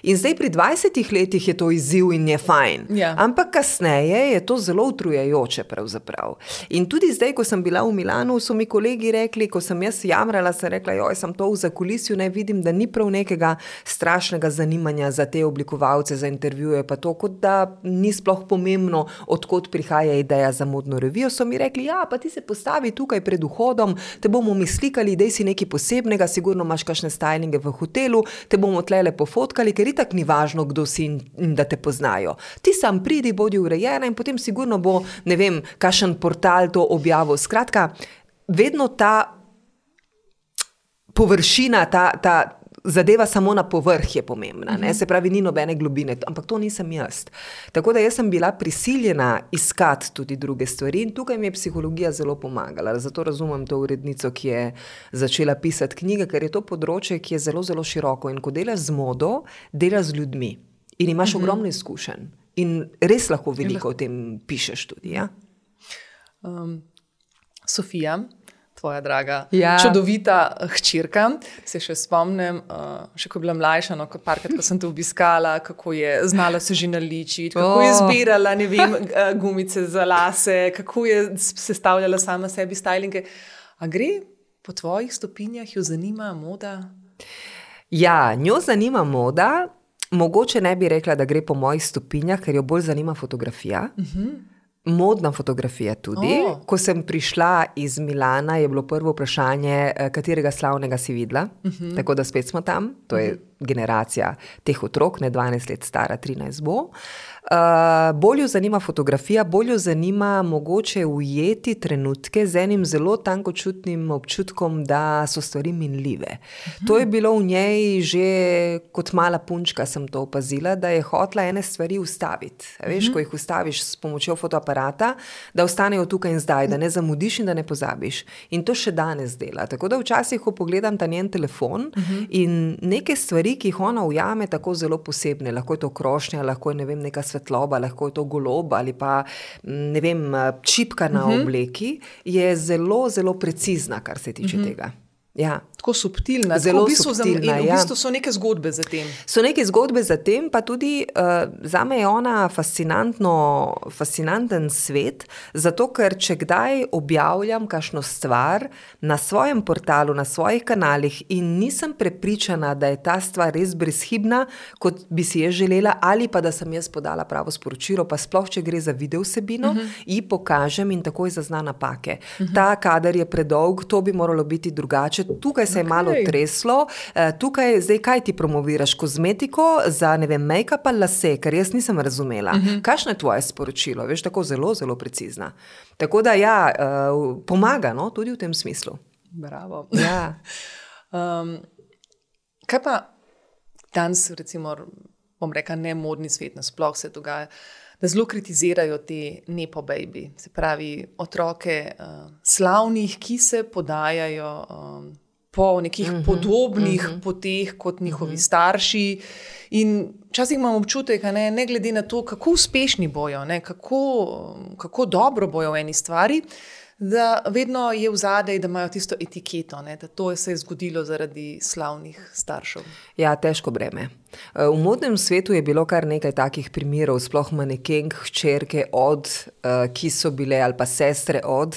In zdaj pri 20 letih je to izziv in je fajn. Ampak kasneje je to zelo utrujajoče pravzaprav. In tudi zdaj, ko sem bila v Milanu, so mi kolegi rekli, ko sem jaz jamrala, sem rekla, sem to v zakulisju, ne vidim, da ni prav nekega strašnega zanimanja za te oblikovalce, za intervjuje, pa to, kot da ni sploh pomembno pomembno, odkot prihaja ideja za modno revijo, so mi rekli, ja, pa ti se postavi tukaj pred vhodom, te bomo mi slikali, dej si nekaj posebnega, sigurno imaš kakšne stylinge v hotelu, te bomo tlele pofotkali, ker itak ni važno, kdo si in da te poznajo. Ti sam pridi, bodi urejena in potem sigurno bo, ne vem, kakšen portal to objavil. Skratka, vedno ta površina, ta zadeva samo na povrh je pomembna, ne? Se pravi, ni nobene globine, ampak to nisem jaz. Tako da jaz sem bila prisiljena iskati tudi druge stvari in tukaj mi je psihologija zelo pomagala. Zato razumem to urednico, ki je začela pisati knjige, ker je to področje, ki je zelo, zelo široko in ko delaš z modo, delaš z ljudmi in imaš ogromno izkušenj in res lahko veliko o tem pišeš tudi, ja? Sofija, tvoja draga, čudovita hčerka, se še spomnim, še ko je bila mlajša, no, parkrat, ko sem te obiskala, kako je znala se že naličiti, kako je zbirala, ne vem, gumice za lase, kako je sestavljala sama sebi stylinge. A gre po tvojih stopinjah, jo zanima moda? Ja, njo zanima moda, mogoče ne bi rekla, da gre po mojih stopinjah, ker jo bolj zanima fotografija. Modna fotografija tudi. Ko sem prišla iz Milana, je bilo prvo vprašanje, katerega slavnega si videla. Tako da spet smo tam. To je generacija teh otrok, ne 12 let stara, 13 bo. Bolj jo zanima fotografija, bolj jo zanima mogoče ujeti trenutke z enim zelo tankočutnim občutkom, da so stvari minljive. To je bilo v njej že kot mala punčka, sem to opazila, da je hotela ene stvari ustaviti. Veš, ko jih ustaviš s pomočjo fotoaparata, da ostanejo tukaj in zdaj, da ne zamudiš in da ne pozabiš. In to še danes dela. Tako da včasih, ko pogledam ta njen telefon in neke stvari, ki jih ona ujame tako zelo posebne, lahko je to krošnja, lahko je, ne vem, neka svetloba, lahko je to golob ali pa, ne vem, čipka na obleki, je zelo, zelo precizna, kar se tiče tega. Ja. Tako subtilna, zelo subtilna. In v bistvu so neke zgodbe za tem. So neke zgodbe za tem, pa tudi zame je ona fascinanten svet, zato ker če kdaj objavljam kakšno stvar na svojem portalu, na svojih kanalih in nisem prepričana, da je ta stvar res brezhibna, kot bi si jaz želela, ali pa da sem jaz podala pravo sporočilo, pa sploh, če gre za video vsebino, ji pokažem in takoj zazna napake. Ta kader je predolg, to bi moralo biti drugače. Tukaj se je malo treslo, tukaj zdaj kaj ti promoviraš, kozmetiko za, ne vem, make-up ali lase, ker jaz nisem razumela. Kakšno je tvoje sporočilo? Veš, tako zelo, zelo precizna. Tako da ja, pomaga, no, tudi v tem smislu. Bravo. Ja. Kaj pa danes, recimo, bom rekla, ne modni svet, nasploh se dogaja, da zelo kritizirajo te nepo baby, se pravi otroke slavnih, ki se podajajo po nekih podobnih poteh kot njihovi starši. In včasih imam občutek, ne glede na to, kako uspešni bojo, kako dobro bojo v eni stvari, da vedno je v zadej, da imajo tisto etiketo, da to se je zgodilo zaradi slavnih staršev. Ja, težko breme. V modnem svetu je bilo kar nekaj takih primerov, sploh manekenk, hčerke od, ki so bile, ali pa sestre od,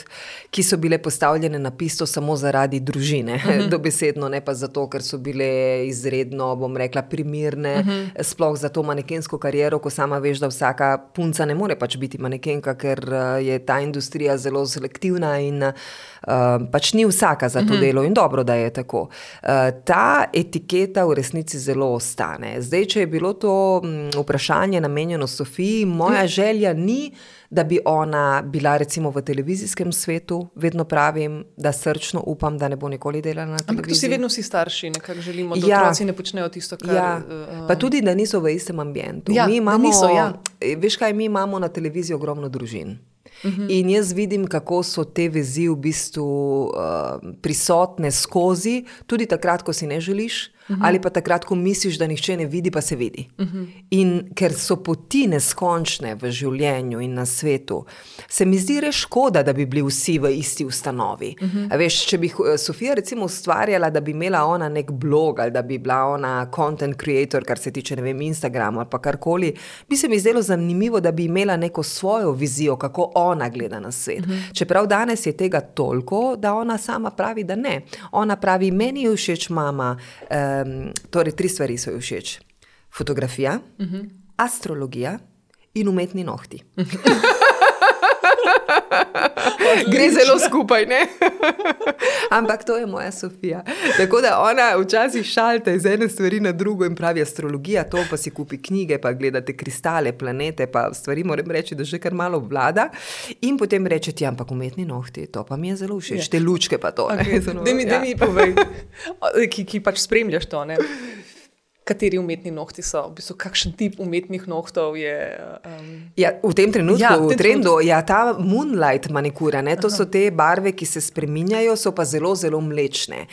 ki so bile postavljene na pisto samo zaradi družine, dobesedno, ne pa zato, ker so bile izredno, bom rekla, primirne, sploh za to manekensko kariero, ko sama veš, da vsaka punca ne more pač biti manekenka, ker je ta industrija zelo selektivna in pač ni vsaka za to delo in dobro, da je tako. Ta etiketa v resnici zelo ostane. Zdaj, če je bilo to vprašanje namenjeno Sofiji, moja želja ni, da bi ona bila recimo v televizijskem svetu, vedno pravim, da srčno upam, da ne bo nikoli delala na televiziji. Ampak to si vedno vsi starši, nekako želimo, da otroci ne počnejo tisto, kar... Ja, pa tudi, da niso v istem ambientu. Ja, da niso, ja. Veš kaj, mi imamo na televiziji ogromno družin. In jaz vidim, kako so te vezi v bistvu prisotne skozi, tudi takrat, ko si ne želiš, ali pa takrat, ko misliš, da nihče ne vidi, pa se vidi. In ker so poti neskončne v življenju in na svetu, se mi zdi res škoda, da bi bili vsi v isti ustanovi. Veš, če bi Sofija recimo ustvarjala, da bi imela ona nek blog, ali da bi bila ona content creator, kar se tiče, ne vem, Instagrama ali pa karkoli, bi se mi zdelo zanimivo, da bi imela neko svojo vizijo, kako ona gleda na svet. Čeprav danes je tega toliko, da ona sama pravi, da ne. Ona pravi, meni je všeč mama, torej 3 stvari so ji všeč. Fotografija, astrologija in umetni nohti. Gre zelo skupaj, ne? Ampak to je moja Sofija. Tako da ona včasih šalta iz ene stvari na drugo in pravi astrologija, to pa si kupi knjige, pa gledate kristale, planete, pa stvari moram reči, da že kar malo vlada. In potem reče ti, ampak umetni nohti, to pa mi je zelo všeč, te lučke pa to. Okay. Da mi povej, ki pač spremljaš to, ne? Kateri umetni nohti so, v bistvu kakšen tip umetnih nohtov je? Ja, v tem trenutku, v trendu, ja, ta moonlight manikura, ne, to so te barve, ki se spreminjajo, so pa zelo, zelo mlečne.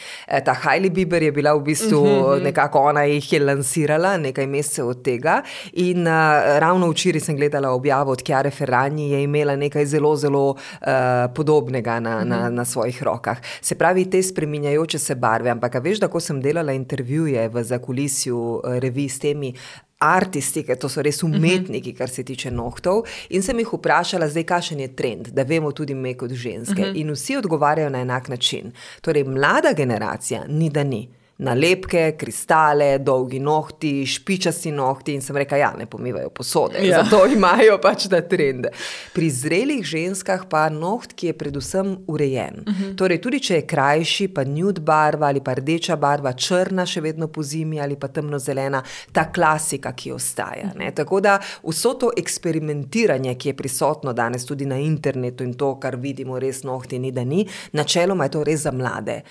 Ta Hailey Bieber je bila v bistvu nekako, ona jih je lansirala nekaj mesecev od tega in ravno včeraj sem gledala objavo od Chiare Ferragni, je imela nekaj zelo, zelo podobnega na svojih rokah. Se pravi, te spreminjajoče se barve, ampak veš, da ko sem delala intervjuje v zakulisju revij s temi artisti, ker to so res umetniki, kar se tiče nohtov, in sem jih vprašala zdaj, kakšen je trend, da vemo tudi me kot ženske. In vsi odgovarjajo na enak način. Torej, mlada generacija ni da ni. Nalepke, kristale, dolgi nohti, špičasti nohti in sem rekla, ja, ne pomivajo posode, zato imajo pač ta trend. Pri zrelih ženskah pa noht, ki je predvsem urejen. Torej, tudi če je krajši, pa nude barva ali pa rdeča barva, črna še vedno po zimi ali pa temnozelena, ta klasika, ki ostaja. Ne? Tako da vso to eksperimentiranje, ki je prisotno danes tudi na internetu in to, kar vidimo res nohti ni da ni, načeloma je to res za mlade.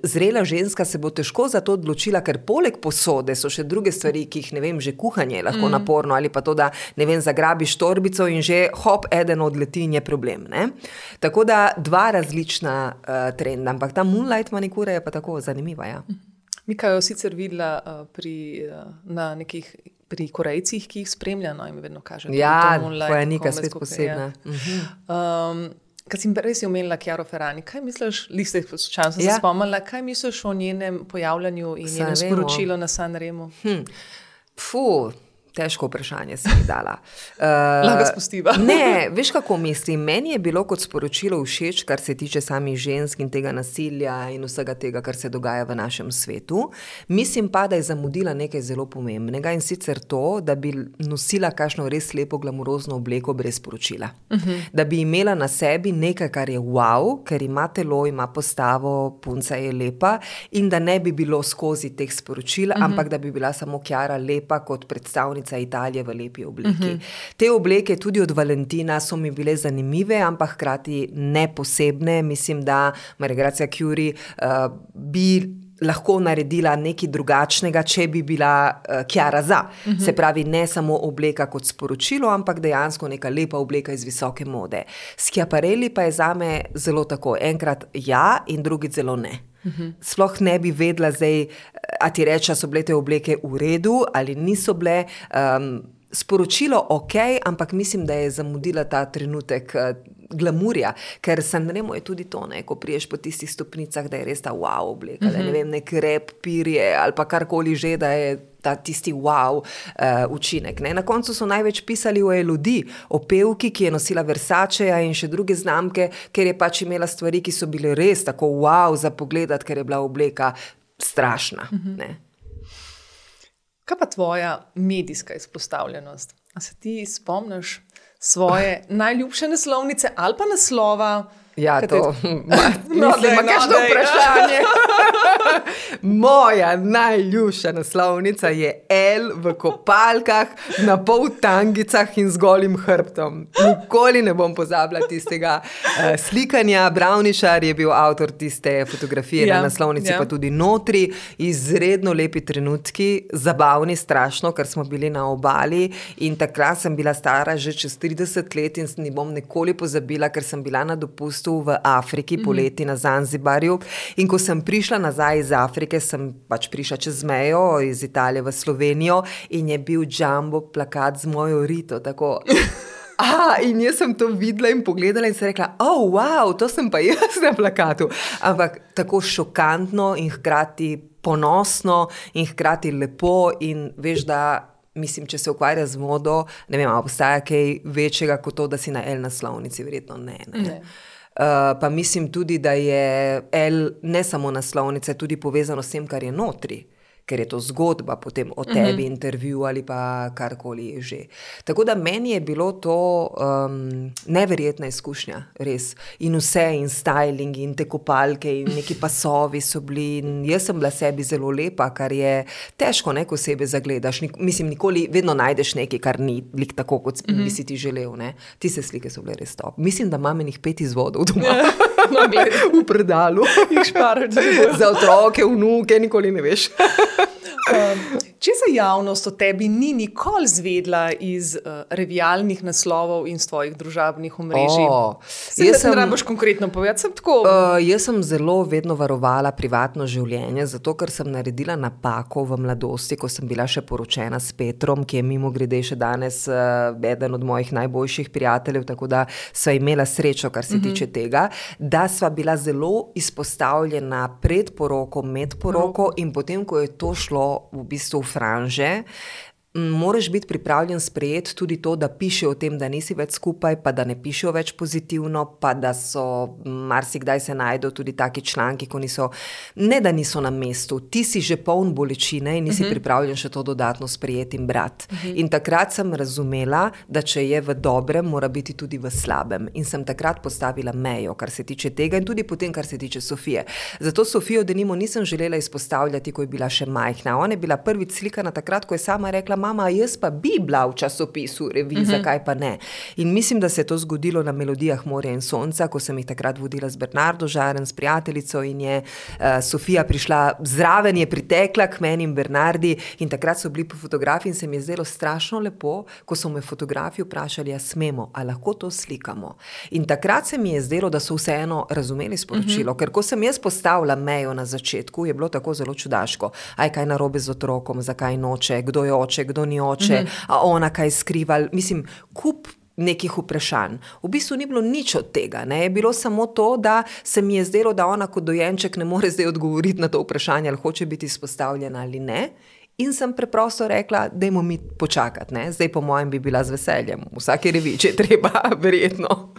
Zrela ženska se bo težko za to odločila, ker poleg posode so še druge stvari, ki jih, ne vem, že kuhanje je lahko naporno ali pa to, da, ne vem, zagrabiš torbico in že hop, eden odleti in je problem, ne? Tako da dva različna trenda, ampak ta moonlight manikura je pa tako zanimiva, ja. Mika jo sicer videla na nekih pri Korejcih, ki jih spremlja, no, in mi vedno kaže. Ja, tvoja Nika spet posebna. Kad si res omenila Chiaro Ferragni, kaj misliš, liste slučajno sem se spomnila, kaj misliš o njenem pojavljanju in njenem sporočilu na Sanremu? Težko vprašanje si mi dala. Lahko spustiva. Ne, veš kako mislim, meni je bilo kot sporočilo všeč, kar se tiče samih žensk in tega nasilja in vsega tega, kar se dogaja v našem svetu. Mislim pa, da je zamudila nekaj zelo pomembnega in sicer to, da bi nosila kakšno res lepo glamurozno obleko brez sporočila. Da bi imela na sebi nekaj, kar je wow, ker ima telo, ima postavo, punca je lepa in da ne bi bilo skozi teh sporočil, ampak da bi bila samo Chiara lepa kot predstavnica Italije v lepi obleki. Te obleke tudi od Valentina so mi bile zanimive, ampak hkrati ne posebne. Mislim, da Maria Grazia Chiuri bi lahko naredila nekaj drugačnega, če bi bila Chiara za. Se pravi, ne samo obleka kot sporočilo, ampak dejansko neka lepa obleka iz visoke mode. Schiaparelli pa je zame zelo tako. Enkrat ja in drugič zelo ne. Sploh ne bi vedela zdaj, a ti reče, so bile te obleke v redu ali niso bile. Sporočilo ok, ampak mislim, da je zamudila ta trenutek glamurja, ker Sanremo je tudi to, ne, ko priješ po tistih stopnicah, da je res ta wow obleka, da ne vem, nek rep, pirje ali pa karkoli že, da je ta tisti wow učinek. Ne. Na koncu so največ pisali o Elodie, o pevki, ki je nosila Versaceja in še druge znamke, ker je pač imela stvari, ki so bile res tako wow za pogledat, ker je bila obleka strašna. Ne. Kaj pa tvoja medijska izpostavljenost? A se ti spomniš svoje najljubše naslovnice ali pa naslova? Ja, to mislim, kakšno vprašanje. Moja najljubša naslovnica je L v kopalkah, na pol tangicah in z golim hrbtom. Nikoli ne bom pozabila tistega slikanja. Brownišar je bil avtor tiste fotografije na naslovnici, pa tudi notri. Izredno lepi trenutki, zabavni strašno, ker smo bili na obali in takrat sem bila stara že čez 30 let in ne bom nikoli pozabila, ker sem bila na dopustu v Afriki poleti na Zanzibarju in ko sem prišla nazaj iz Afrike, sem pač prišla čez mejo iz Italije v Slovenijo in je bil jumbo plakat z mojo Rito, tako. In jaz sem to videla in pogledala in sem rekla, wow, to sem pa jaz na plakatu. Ampak tako šokantno in hkrati ponosno in hkrati lepo in veš, da mislim, če se ukvarja z modo, ne vem, obstaja kaj večjega kot to, da si na L naslovnici, verjetno ne. Pa mislim tudi, da je L ne samo naslovnica, tudi povezano s tem, kar je notri. ker je to zgodba potem o tebi, intervju ali pa karkoli že. Tako da meni je bilo to neverjetna izkušnja, res. In vse, in styling, in te kopalke, in neki pasovi so bili. In jaz sem bila sebi zelo lepa, kar je težko, ko sebe zagledaš. Mislim, nikoli vedno najdeš nekaj, kar ni lik tako, kot bi si ti želel. Ne? Tiste slike so bile res top. Mislim, da imam enih 5 izvodov doma. No, v predalu. Za otroke, vnuke, nikoli ne veš. Če se javnost o tebi ni nikoli zvedla iz revijalnih naslovov in z tvojih družabnih omrežij, ne rabiš konkretno povedati, sem tako. Jaz sem zelo vedno varovala privatno življenje, zato ker sem naredila napako v mladosti, ko sem bila še poročena s Petrom, ki je mimogrede še danes eden od mojih najboljših prijateljev, tako da sva imela srečo, kar se tiče tega, da sva bila zelo izpostavljena pred poroko, med poroko in potem, ko je to šlo v bistvu v franže, moraš biti pripravljen sprejeti tudi to, da piše o tem, da nisi več skupaj, pa da ne pišejo več pozitivno, pa da so marsikdaj se najdejo tudi taki članki, ko niso, ne da niso na mestu, ti si že poln bolečine in nisi pripravljen še to dodatno sprejeti in brati. In takrat sem razumela, da če je v dobrem, mora biti tudi v slabem. In sem takrat postavila mejo, kar se tiče tega in tudi potem, kar se tiče Sofije. Zato Sofijo denimo nisem želela izpostavljati, ko je bila še majhna. Ona je bila prvič slikana takrat, ko je sama rekla: mama, jaz pa bi bila v časopisu, reviji, zakaj pa ne. In mislim, da se je to zgodilo na Melodijah morja in sonca, ko sem jih takrat vodila z Bernardo Žaren, s prijateljico, in je Sofija prišla zraven, je pritekla k meni in Bernardi in takrat so bili po fotografiji in se mi je zdelo strašno lepo, ko so me fotografi vprašali, a smemo, a lahko to slikamo. In takrat se mi je zdelo, da so vseeno razumeli sporočilo, ker ko sem jaz postavila mejo na začetku, je bilo tako zelo čudaško. Aj, kaj narobe z otrokom, zakaj noče, kdo je oče, kdo ni oče, a ona kaj skriva, mislim, kup nekih vprašanj. V bistvu ni bilo nič od tega, ne? Je bilo samo to, da se mi je zdelo, da ona kot dojenček ne more zdaj odgovoriti na to vprašanje, ali hoče biti izpostavljena ali ne. In sem preprosto rekla, dajmo mi počakati, ne? Zdaj po mojem bi bila z veseljem. V vsaki reviji, če je treba, verjetno.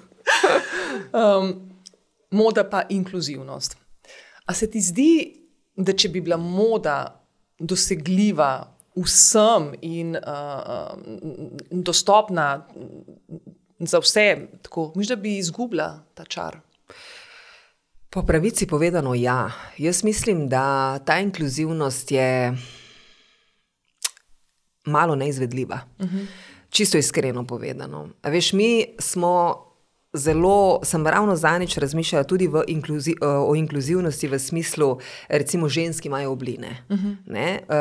Moda pa inkluzivnost. A se ti zdi, da če bi bila moda dosegljiva vsem in dostopna za vse, tako, mislim, da bi izgubila ta čar? Po pravici povedano, ja. Jaz mislim, da ta inkluzivnost je malo neizvedljiva. Čisto iskreno povedano. A veš, mi smo sem ravno zanič razmišljala tudi o inkluzivnosti v smislu, recimo ženski imajo obline.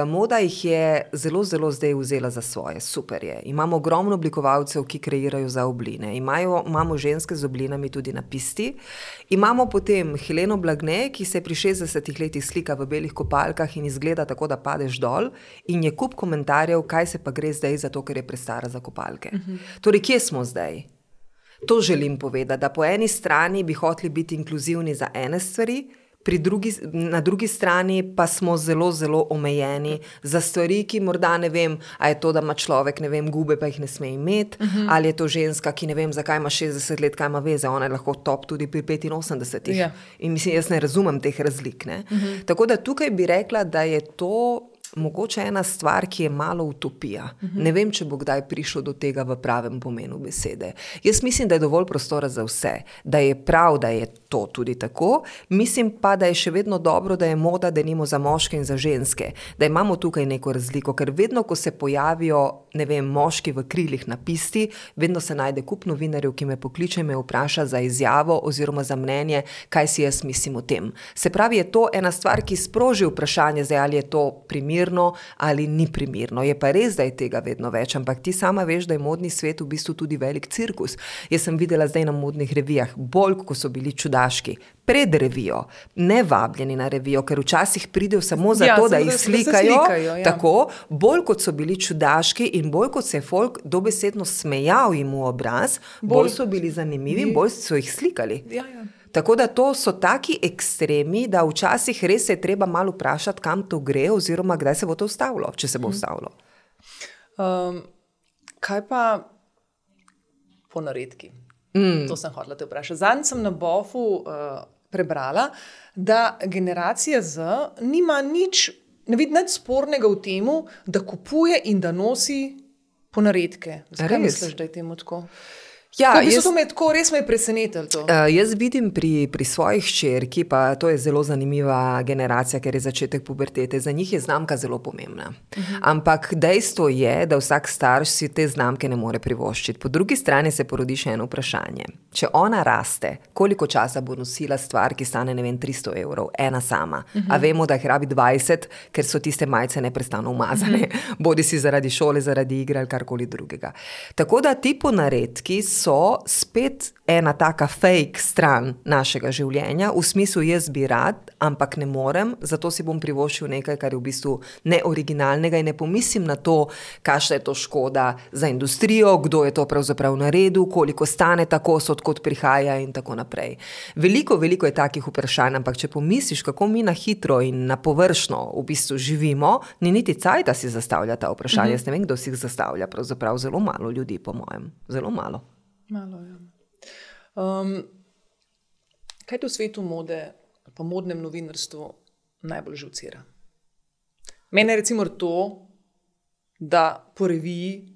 Moda jih je zelo, zelo zdaj vzela za svoje, super je. Imamo ogromno oblikovalcev, ki kreirajo za obline. Imamo ženske z oblinami tudi na pisti. Imamo potem Heleno Blagne, ki se pri 60 letih slika v belih kopalkah in izgleda tako, da padeš dol, in je kup komentarjev, kaj se pa gre zdaj, zato ker je prestara za kopalke. Torej, kje smo zdaj? To želim povedati, da po eni strani bi hoteli biti inkluzivni za ene stvari, na drugi strani pa smo zelo, zelo omejeni za stvari, ki morda ne vem, a je to, da ima človek, ne vem, gube, pa jih ne sme imeti, ali je to ženska, ki ne vem, zakaj ima 60 let, kaj ima veze, ona je lahko top tudi pri 85. Ja. In mislim, jaz ne razumem teh razlik, ne. Tako da tukaj bi rekla, da je to mogoče ena stvar, ki je malo utopija. Ne vem, če bo kdaj prišlo do tega v pravem pomenu besede. Jaz mislim, da je dovolj prostora za vse, da je prav, da je to tudi tako. Mislim pa, da je še vedno dobro, da je moda denimo za moške in za ženske, da imamo tukaj neko razliko, ker vedno, ko se pojavijo, ne vem, moški v krilih na pisti, vedno se najde kup novinarjev, ki me pokliče, me vpraša za izjavo oziroma za mnenje, kaj si jaz mislim o tem. Se pravi, je to ena stvar, ki sproži vprašanje, zdaj, ali je to primerno ali ni primerno. Je pa res, da je tega vedno več, ampak ti sama veš, da je modni svet v bistvu tudi velik cirkus. Jaz sem videla zdaj na modnih revijah, bolj ko so bili čudaški, pred revijo, ne vabljeni na revijo, ker včasih pridejo samo zato, da jih slikajo, tako, bolj kot so bili čudaški in bolj kot se je folk dobesedno smejal jim v obraz, bolj so bili zanimivi in bolj so jih slikali. Ja. Tako da to so taki ekstremi, da včasih res se je treba malo vprašati, kam to gre, oziroma kdaj se bo to ustavilo, če se bo ustavilo. Kaj pa ponaredki? To sem hotela te vprašati. Zadnjič sem na Bofu prebrala, da generacija Z nima nič vidi nič spornega v tem, da kupuje in da nosi ponaredke. Zakaj misliš, da je temu tako? Ja, res me je presenetilo to. Jaz vidim pri svojih hčerki, pa to je zelo zanimiva generacija, ker je začetek pubertete, za njih je znamka zelo pomembna. Ampak dejstvo je, da vsak starš si te znamke ne more privoščiti. Po drugi strani se porodi še eno vprašanje. Če ona raste, koliko časa bo nosila stvar, ki stane, 300 €, ena sama. A vemo, da jih rabi 20, ker so tiste majice neprestano umazane. Bodi si zaradi šole, zaradi igre ali karkoli drugega. Tako da ti ponaredki so spet ena taka fake stran našega življenja, v smislu jaz bi rad, ampak ne morem, zato si bom privoščil nekaj, kar je v bistvu neoriginalnega in ne pomislim na to, kakšna je to škoda za industrijo, kdo je to pravzaprav naredil, koliko stane ta kos, odkot prihaja in tako naprej. Veliko je takih vprašanj, ampak če pomisliš, kako mi na hitro in na površno v bistvu živimo, ni niti cajt, da si zastavlja ta vprašanja. Jaz ne vem, kdo si jih zastavlja, pravzaprav zelo malo ljudi, po mojem. Zelo malo. Malo, ja. Kaj te v svetu mode, pa modnem novinarstvu najbolj živcira? Mene recimo to, da po reviji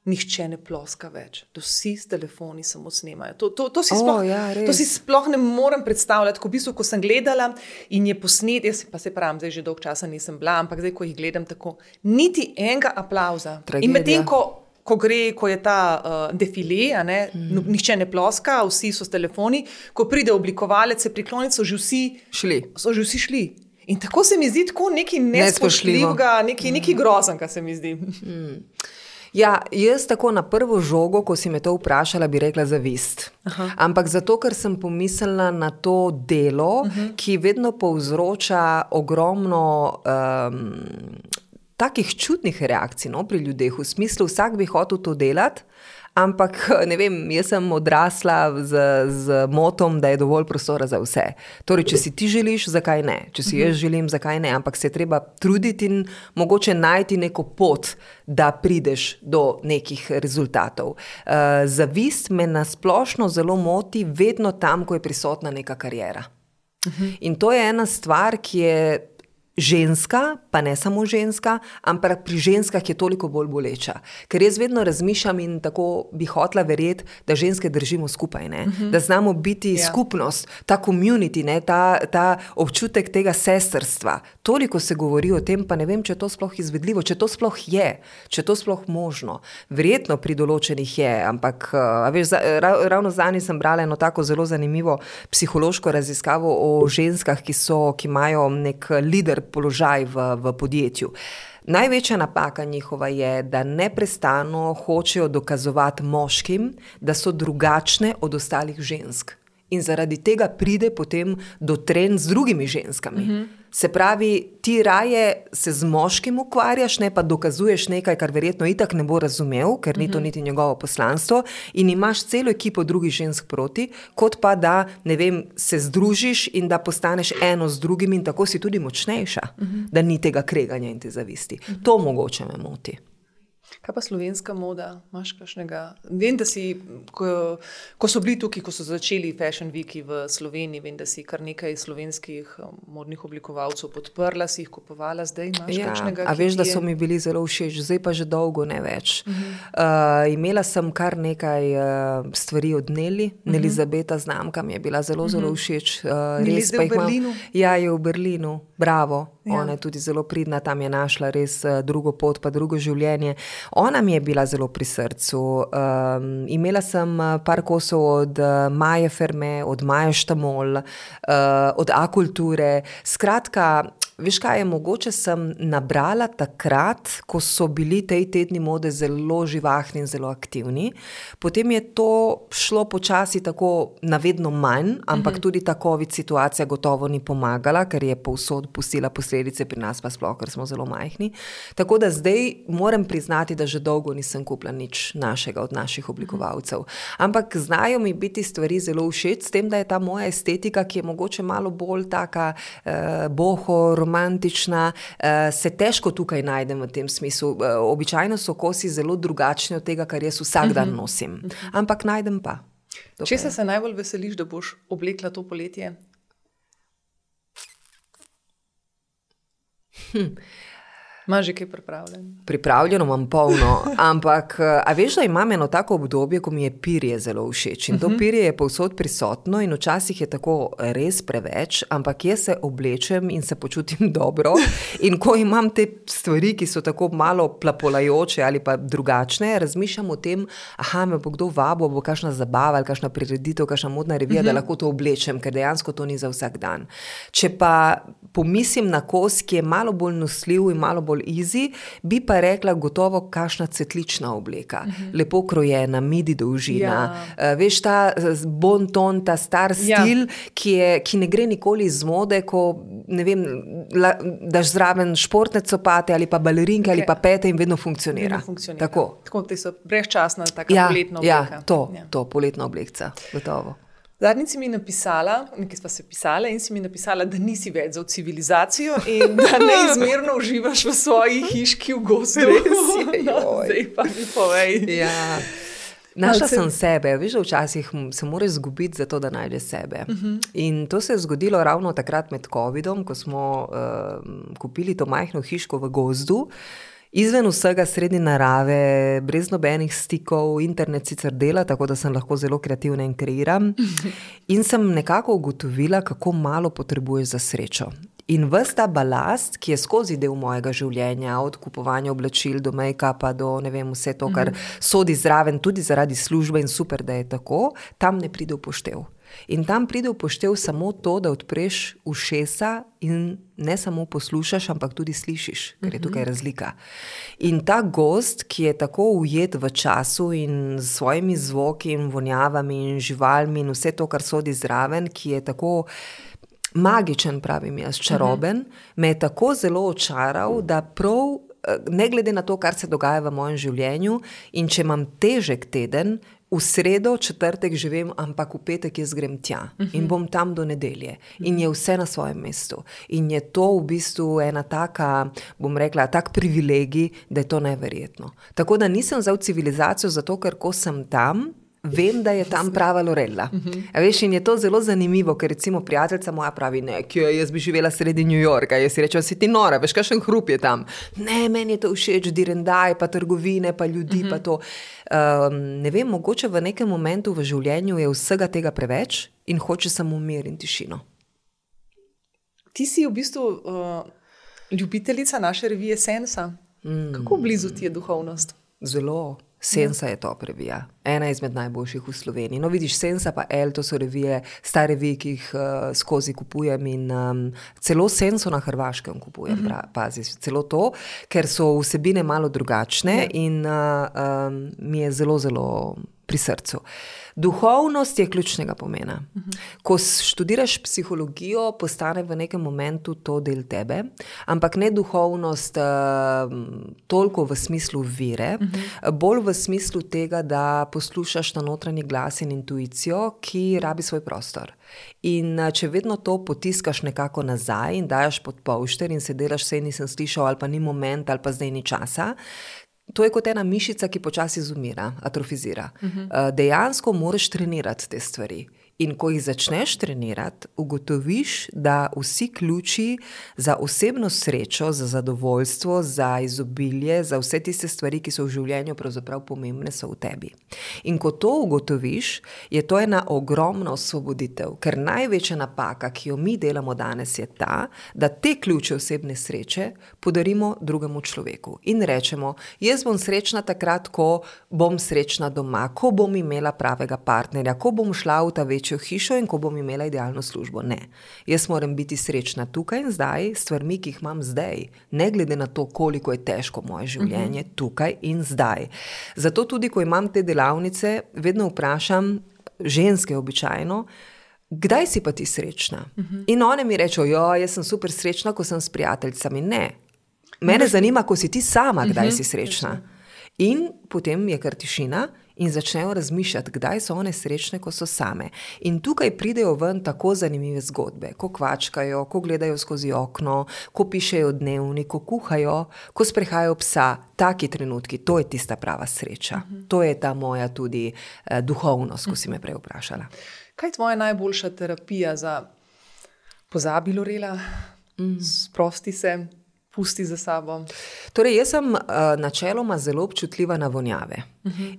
nihče ne ploska več, da vsi s telefoni samo snemajo. To si sploh ne morem predstavljati, ko v bistvu, ko sem gledala in je posnet, jaz pa se pravim, zdaj že dolgo časa nisem bila, ampak zdaj, ko jih gledam tako, niti enega aplavza. Tragedija. In medtem, ko je ta defile, nihče ne ploska, vsi so s telefoni, ko pride oblikovalec, se prikloniti, so že vsi šli. In tako se mi zdi tako nekaj nespoštljivega, nekaj groznega se mi zdi. Ja, jaz tako na prvo žogo, ko si me to vprašala, bi rekla zavist. Ampak zato, ker sem pomislila na to delo, ki vedno povzroča ogromno takih čudnih reakcij pri ljudeh, v smislu vsak bi hotel to delati, ampak ne vem, jaz sem odrasla z motom, da je dovolj prostora za vse. Torej, če si ti želiš, zakaj ne? Če si jaz želim, zakaj ne? Ampak se je treba truditi in mogoče najti neko pot, da prideš do nekih rezultatov. Zavist me nasplošno zelo moti vedno tam, ko je prisotna neka kariera. In to je ena stvar, ki je ženska, pa ne samo ženska, ampak pri ženskah je toliko bolj boleča. Ker jaz vedno razmišljam in tako bi hotela verjeti, da ženske držimo skupaj, da znamo biti skupnost, ta community, ta občutek tega sestrstva. Toliko se govori o tem, pa ne vem, če je to sploh izvedljivo, če to sploh je, če to sploh možno. Verjetno pri določenih je, ampak ravno zdaj sem brala eno tako zelo zanimivo psihološko raziskavo o ženskah, ki imajo nek lider položaj v podjetju. Največja napaka njihova je, da neprestano hočejo dokazovati moškim, da so drugačne od ostalih žensk. In zaradi tega pride potem do trenj z drugimi ženskami. Se pravi, ti raje se z moškim ukvarjaš, ne pa dokazuješ nekaj, kar verjetno itak ne bo razumel, ker ni to niti njegovo poslanstvo, in imaš celo ekipo drugih žensk proti, kot pa da, ne vem, se združiš in da postaneš eno z drugim in tako si tudi močnejša, da ni tega kreganja in te zavisti. To mogoče me moti. Kaj pa slovenska moda? Imaš kakšnega? Vem, da si, ko so bili tukaj, ko so začeli Fashion Weeki v Sloveniji, vem, da si kar nekaj slovenskih modnih oblikovalcev podprla, si jih kupovala, zdaj imaš kakšnega? A veš, da so mi bili zelo všeč, zdaj pa že dolgo ne več. Imela sem kar nekaj stvari od Nelly, Elizabeta znamka mi je bila zelo všeč. Res pa v Berlinu? Ja, je v Berlinu, bravo. Ona je tudi zelo pridna, tam je našla res drugo pot, pa drugo življenje. Ona mi je bila zelo pri srcu. Imela sem par kosov od Maje Ferme, od Maje Štamol, od A-kulture. Skratka, veš kaj je, mogoče sem nabrala takrat, ko so bili tej tedni mode zelo živahni in zelo aktivni. Potem je to šlo počasi tako navedno manj, ampak tudi ta COVID situacija gotovo ni pomagala, ker je povsod pustila posledice, pri nas pa sploh, ker smo zelo majhni. Tako da zdaj moram priznati, da že dolgo nisem kupila nič našega od naših oblikovalcev. Ampak znajo mi biti stvari zelo všeč, s tem, da je ta moja estetika, ki je mogoče malo bolj taka boho, romantična, se težko tukaj najdem v tem smislu. Običajno so kosi zelo drugačni od tega, kar jaz vsak dan nosim. Ampak najdem pa. Česa se najbolj veseliš, da boš oblekla to poletje? Imaš že kaj pripravljeno? Pripravljeno imam polno, ampak a veš, da imam eno tako obdobje, ko mi je pirje zelo všeč. In to pirje je povsod prisotno in včasih je tako res preveč, ampak jaz se oblečem in se počutim dobro. In ko imam te stvari, ki so tako malo plapolajoče ali pa drugačne, razmišljam o tem, me bo kdo vabil, bo kakšna zabava ali kakšna prireditev, kakšna modna revija, da lahko to oblečem, ker dejansko to ni za vsak dan. Če pa pomislim na kos, ki je malo bolj nosljiv in malo bolj easy, bi pa rekla gotovo kakšna cvetlična obleka. Lepo krojena, midi dolžina. Veš, ta bon ton, ta star stil, ki ne gre nikoli iz mode, ko, ne vem, daš zraven športne copate ali pa balerinke ali pa pete in vedno funkcionira. Tako, ti so brezčasna, taka poletna obleka. To poletna oblekca, gotovo. Zadnjič si mi napisala, nekaj sva se pisala in si mi napisala, da nisi več za civilizacijo in da neizmerno uživaš v svoji hiški v gozdu. Zdaj pa mi povej. Ja. Našla sem sebe, veš, da včasih se moraš zgubiti za to, da najdeš sebe. In to se je zgodilo ravno takrat med covidom, ko smo kupili to majhno hiško v gozdu. Izven vsega sredi narave, brez nobenih stikov, internet sicer dela, tako da sem lahko zelo kreativna in kreiram. In sem nekako ugotovila, kako malo potrebuješ za srečo. In ves ta balast, ki je skozi del mojega življenja, od kupovanja oblačil do make-upa, do ne vem, vse to, kar sodi zraven, tudi zaradi službe in super, da je tako, tam ne pride v poštev. In tam pride v poštev samo to, da odpreš ušesa in ne samo poslušaš, ampak tudi slišiš, ker je tukaj razlika. In ta gozd, ki je tako ujet v času in s svojimi zvoki in vonjavami in živalmi in vse to, kar sodi zraven, ki je tako magičen, pravim jaz, čaroben, me je tako zelo očaral, da prav ne glede na to, kar se dogaja v mojem življenju, in če imam težek teden, v sredo, četrtek že vem, ampak v petek jaz grem tja in bom tam do nedelje. In je vse na svojem mestu. In je to v bistvu ena taka, bom rekla, tak privilegij, da je to neverjetno. Tako da nisem za civilizacijo, zato ker ko sem tam, vem, da je tam prava Lorella. Veš, in je to zelo zanimivo, ker recimo prijateljica moja pravi, ne, jaz bi živela sredi New Yorka, jaz si rečem, si ti nora, veš, kakšen hrup je tam. Ne, meni je to všeč, direndaj, pa trgovine, pa ljudi, pa to. Ne vem, mogoče v nekem momentu v življenju je vsega tega preveč in hoče samo mir in tišino. Ti si v bistvu ljubiteljica naše revije Sensa. Kako blizu ti je duhovnost? Zelo. Sensa je top revija. Ena izmed najboljših v Sloveniji. No, vidiš, Sensa pa El, to so revije, stare revije, ki jih skozi kupujem in celo Senso na Hrvaškem kupujem, pazi, celo to, ker so vsebine malo drugačne in mi je zelo, zelo pri srcu. Duhovnost je ključnega pomena. Ko študiraš psihologijo, postane v nekem momentu to del tebe, ampak ne duhovnost toliko v smislu vere, bolj v smislu tega, da poslušaš na notranji glas in intuicijo, ki rabi svoj prostor. In če vedno to potiskaš nekako nazaj in daš pod polšter in se delaš, sej nisem slišal, ali pa ni moment, ali pa zdaj ni časa, to je kot ena mišica, ki počasi izumira, atrofizira. Dejansko moraš trenirati te stvari. In ko jih začneš trenirati, ugotoviš, da vsi ključi za osebno srečo, za zadovoljstvo, za izobilje, za vse tiste stvari, ki so v življenju pravzaprav pomembne, so v tebi. In ko to ugotoviš, je to ena ogromna osvoboditev, ker največja napaka, ki jo mi delamo danes, je ta, da te ključe osebne sreče podarimo drugemu človeku. In rečemo, jaz bom srečna takrat, ko bom srečna doma, ko bom imela pravega partnerja, ko bom šla v ta večjo hišo in ko bom imela idealno službo. Ne. Jaz moram biti srečna tukaj in zdaj, s stvarmi, ki jih imam zdaj, ne glede na to, koliko je težko moje življenje, tukaj in zdaj. Zato tudi, ko imam te delavnice, vedno vprašam ženske običajno, kdaj si pa ti srečna? In one mi rečejo, jaz sem super srečna, ko sem s prijateljicami. Ne. Mene zanima, ko si ti sama, kdaj si srečna. In potem je kar tišina in začnejo razmišljati, kdaj so one srečne, ko so same. In tukaj pridejo ven tako zanimive zgodbe, ko kvačkajo, ko gledajo skozi okno, ko pišejo dnevnik, ko kuhajo, ko sprehajajo psa. Taki trenutki, to je tista prava sreča. To je ta moja tudi duhovnost, ko si me prej vprašala. Kaj je tvoja najboljša terapija za pozabi, Lorela? Sprosti se, pusti za sabo? Torej, jaz sem načeloma zelo občutljiva na vonjave.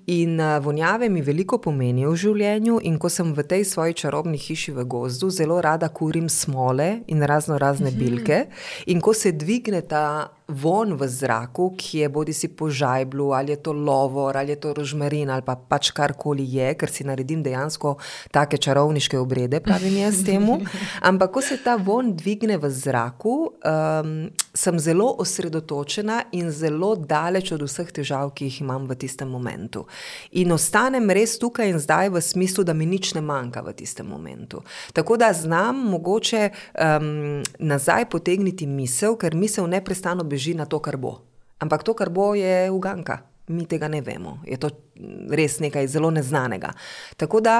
In vonjave mi veliko pomenijo v življenju, in ko sem v tej svoji čarobni hiši v gozdu, zelo rada kurim smole in razne bilke. In ko se dvigne ta von v zraku, ki je bodi si po žajblu, ali je to lovor, ali je to rožmarin, ali pa pač karkoli je, ker si naredim dejansko take čarovniške obrede, pravim jaz temu. Ampak ko se ta von dvigne v zraku, sem zelo osredotočena in zelo daleč od vseh težav, ki jih imam v tistem momentu. In ostanem res tukaj in zdaj v smislu, da mi nič ne manjka v tistem momentu. Tako da znam mogoče nazaj potegniti misel, ker misel neprestano beži na to, kar bo. Ampak to, kar bo, je uganka. Mi tega ne vemo. Je to res nekaj zelo neznanega. Tako da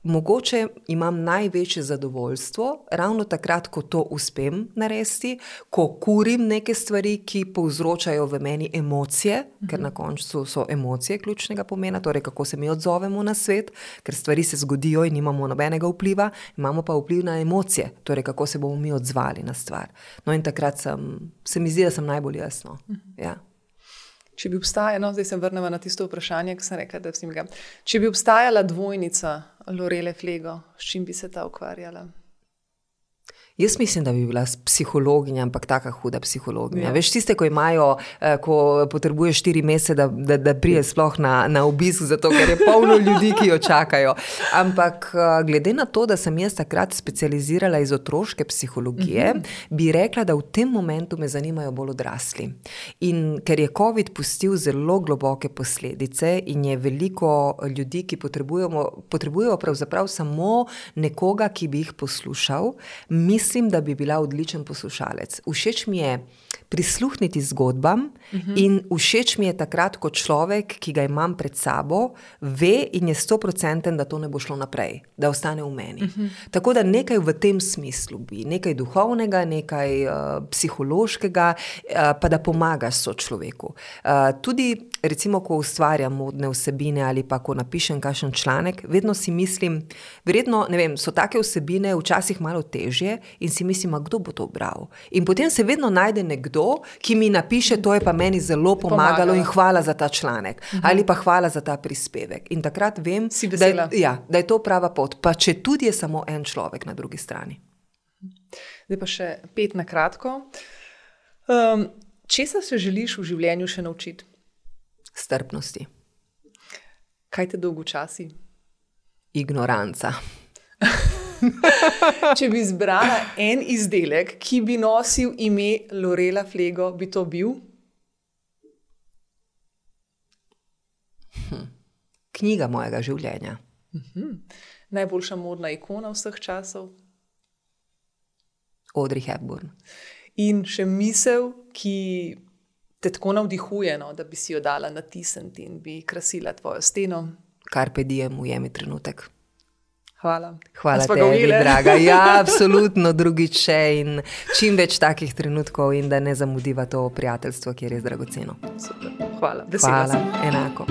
mogoče imam največje zadovoljstvo ravno takrat, ko to uspem narediti, ko kurim neke stvari, ki povzročajo v meni emocije, ker na koncu so emocije ključnega pomena, torej kako se mi odzovemo na svet, ker stvari se zgodijo in nimamo nobenega vpliva, imamo pa vpliv na emocije, torej kako se bomo mi odzvali na stvar. No in takrat se mi zdi, da sem najbolj jasno. Ja. Če bi obstajala, zdaj se vrnemo na tisto vprašanje, ki sem rekla, da vsem ga. Če bi obstajala dvojnica Lorele Flego, s čim bi se ta ukvarjala? Jaz mislim, da bi bila psihologinja, ampak taka huda psihologinja. Veš, tiste, ko imajo, ko potrebuje 4 mesece, da prije sploh na obisk, zato ker je polno ljudi, ki jo čakajo. Ampak glede na to, da sem jaz takrat specializirala iz otroške psihologije, bi rekla, da v tem momentu me zanimajo bolj odrasli. In ker je COVID pustil zelo globoke posledice in je veliko ljudi, ki potrebujejo pravzaprav samo nekoga, ki bi jih poslušal, mislim, da bi bila odličen poslušalec. Všeč mi je prisluhniti zgodbam in všeč mi je takrat, ko človek, ki ga imam pred sabo, ve in je 100%, da to ne bo šlo naprej, da ostane v meni. Tako da nekaj v tem smislu bi, nekaj duhovnega, nekaj psihološkega, pa da pomagaš sočloveku. Tudi recimo, ko ustvarjam modne vsebine ali pa ko napišem kakšen članek, vedno si mislim, verjetno, ne vem, so take vsebine včasih malo težje in si mislim, a kdo bo to bral? In potem se vedno najde nekdo, ki mi napiše, to je pa meni zelo pomagalo in hvala za ta članek. Ali pa hvala za ta prispevek. In takrat vem, da je to prava pot. Pa če tudi je samo en človek na drugi strani. Zdaj pa še 5 na kratko. Česa se želiš v življenju še naučiti? Strpnosti. Kaj te dolgočasi? Ignoranca. Če bi izbrala en izdelek, ki bi nosil ime Lorela Flego, bi to bil? Knjiga mojega življenja. Najboljša modna ikona vseh časov? Audrey Hepburn. In še misel, ki te tako navdihuje, da bi si jo dala natisniti in bi krasila tvojo steno? Carpe diem, ujemi trenutek. Hvala. Hvala tebi, draga. Ja, absolutno, drugič še in čim več takih trenutkov in da ne zamudiva to prijateljstvo, ki je res dragoceno. Super. Hvala. Hvala, enako.